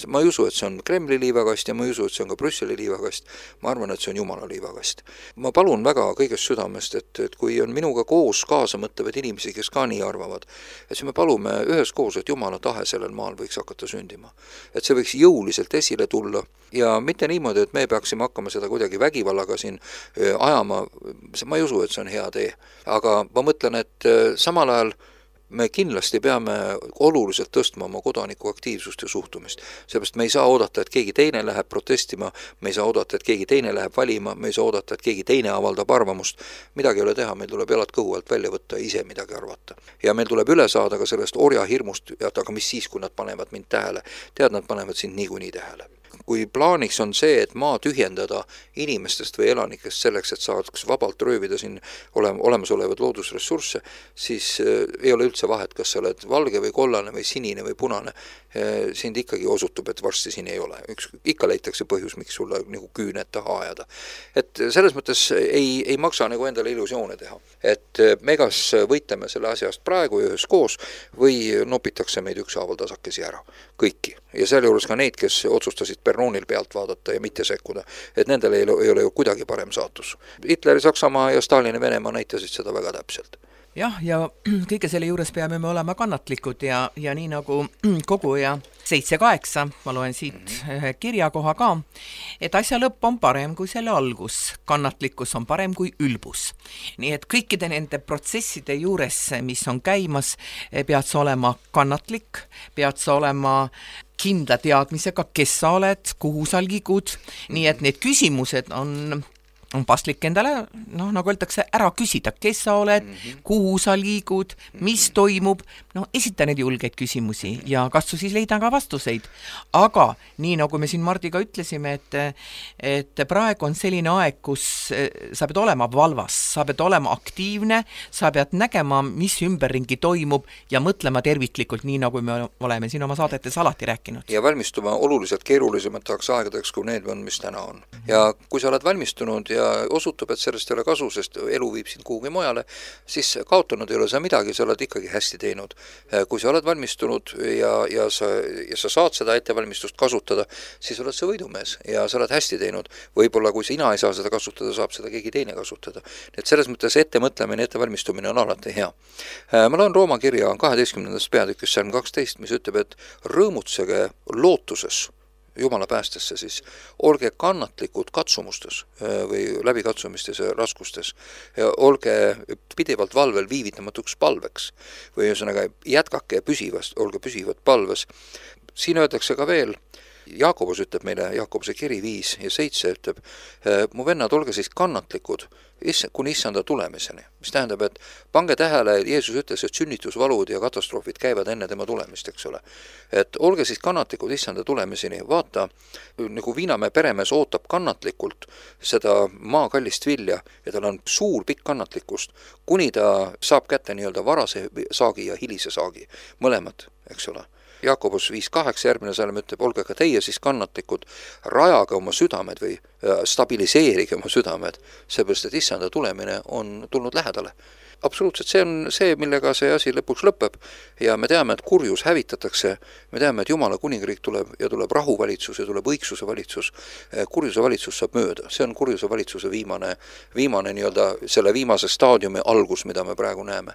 Ma ei usu, et see on Kremli liivakast ja ma ei usu, et see on ka Brüsseli liivakast. Ma arvan, et see on Jumala liivakast. Ma palun väga kõigest südamest, et, et kui on minuga koos kaasa mõtlevad inimesi, kes ka nii arvavad, et siis me palume üheskoos, et Jumala tahe sellel maal võiks hakata sündima. Et see võiks jõuliselt esile tulla ja mitte niimoodi, et me peaksime hakkama seda kuidagi vägivallaga siin ajama. Ma ei usu, et see on hea tee. Aga ma mõtlen, et samal ajal me kindlasti peame oluliselt tõstma oma kodaniku aktiivsust ja suhtumist. Seepärast me ei saa oodata, et keegi teine läheb protestima, me ei saa oodata, et keegi teine läheb valima, me ei saa oodata, et keegi teine avaldab arvamust. Midagi ei ole teha, meil tuleb jalad kõhu alt välja võtta ja ise midagi arvata. Ja meil tuleb üle saada ka sellest orja hirmust, aga mis siis, kui nad panevad mind tähele? Tead, nad panevad sind niikuinii tähele. Kui plaaniks on see, et maa tühjendada inimestest või elanikest selleks, et saaks vabalt röövida siin olemasolevad loodusressursse, siis ei ole üldse vahet, kas sa oled valge või kollane või sinine või punane. Sind ikkagi osutub, et varsti siin ei ole. Üks, ikka leitakse põhjus, miks sulle nagu küüned taha ajada. Et selles mõttes ei, ei maksa nagu endale illusioone teha. Et me kas võitleme selle asjast praegu ühes koos või nopitakse meid ükshaaval tasakesi ära. Kõiki. Ja selle juures ka neid, kes otsustasid perroonil pealt vaadata ja mitte sekkuda, et nendel ei ole, ei ole ju kuidagi parem saatus. Hitleri Saksamaa ja Stalini Venemaa näitasid seda väga täpselt. Jah, ja kõige selle juures peame me olema kannatlikud ja, ja nii nagu koguja seitse kaheksa, ma loen siit ühe kirjakoha ka, et asja lõpp on parem kui selle algus, kannatlikkus on parem kui ülbus. Nii et kõikide nende protsesside juures, mis on käimas, pead sa olema kannatlik, pead sa olema kindla teadmisega, kes sa oled, kuhu sa liigud, nii et need küsimused on on paslik endale, noh, nagu öeldakse, ära küsida, kes sa oled, mm -hmm. kuhu sa liigud, mis toimub, no esita neid julgeid küsimusi ja katsu siis leida ka vastuseid. Aga nii nagu me siin Mardiga ütlesime, et, et praegu on selline aeg, kus sa pead olema valvas, sa pead olema aktiivne, sa pead nägema, mis ümberringi toimub ja mõtlema terviklikult, nii nagu me oleme siin oma saadetes alati rääkinud. Ja valmistuma oluliselt keerulisemateks aegadeks, kui need on, mis täna on. Ja kui sa oled valmistunud ja osutub, et sellest ei ole kasu, sest elu viib sind kuhugi mujale, siis kaotanud ei ole sa midagi, sa oled ikkagi hästi teinud. Kui sa oled valmistunud ja, ja, sa, ja sa saad seda ettevalmistust kasutada, siis oled sa võidumees ja sa oled hästi teinud. Võib-olla kui sina ei saa seda kasutada, saab seda keegi teine kasutada. Nii et selles mõttes ettemõtlemine, ettevalmistumine on alati hea. Ma loen Rooma kirja kaheteistkümnendast peatükis salm kaksteist, mis ütleb, et rõõmutsege lootuses, Jumala päästesse siis, olge kannatlikud katsumustes või läbikatsumistes ja raskustes, olge pidevalt valvel viivitamatuks palveks või ühesõnaga jätkake püsivast, olge püsivad palves. Siin öeldakse ka veel, Jaakobus ütleb meile, Jaakobuse kiri viis ja seitse ütleb, mu vennad, olge siis kannatlikud kuni issanda tulemiseni. Mis tähendab, et pange tähele, Jeesus ütles, et sünnitusvalud ja katastroofid käivad enne tema tulemist, eks ole. Et olge siis kannatlikud issanda tulemiseni. Vaata, nagu Viinamäe peremees ootab kannatlikult seda maakallist vilja ja tal on suur pikk kannatlikkust, kuni ta saab kätte nii-öelda varase saagi ja hilise saagi. Mõlemad, eks ole. Jaakobus viis kaheksa järgmine salm ütleb, olge ka teie siis kannatlikud, rajage oma südamed või stabiliseerige oma südamed, seepärast, et issanda tulemine on tulnud lähedale. Absoluutselt, see on see, millega see asi lõpuks lõpeb ja me teame, et kurjus hävitatakse, me teame, et Jumala kuningriik tuleb ja tuleb rahuvalitsus ja tuleb õigsuse valitsus, kurjuse valitsus saab mööda, see on kurjuse valitsuse viimane, viimane nii-öelda selle viimase staadiumi algus, mida me praegu näeme.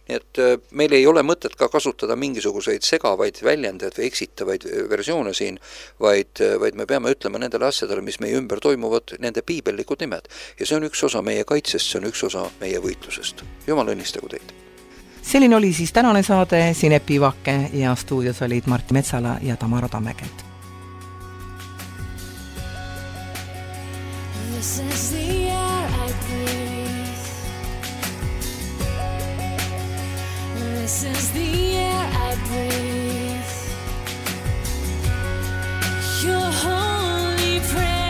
Nii et meil ei ole mõtet ka kasutada mingisuguseid segavaid väljendeid või eksitavaid versioone siin, vaid, vaid me peame ütlema nendele asjadele, mis meie ümber toimuvad, nende piibellikud nimed ja see on üks osa meie kaitsest, see on üks osa meie võitlusest. Jumal õnnistagu teid. Selline oli siis tänane saade Sinepi Vakke ja stuudios olid Martti Metsala ja Tamara Tammekent. This is the air I breathe. This is the air I breathe. Your holy presence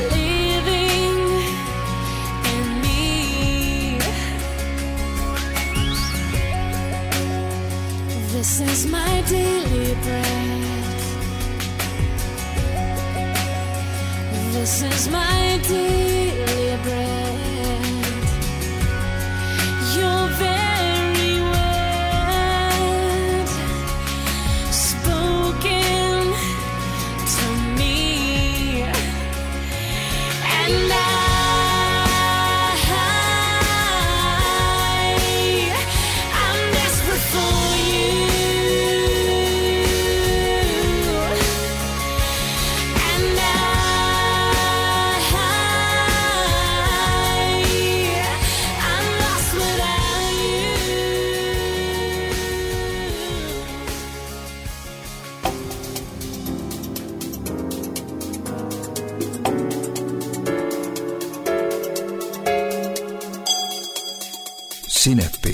living in me. This is my daily bread. This is my daily bread. Your very word spoken to me, and I, I'm desperate for you, and I, I'm lost without you. Sinep.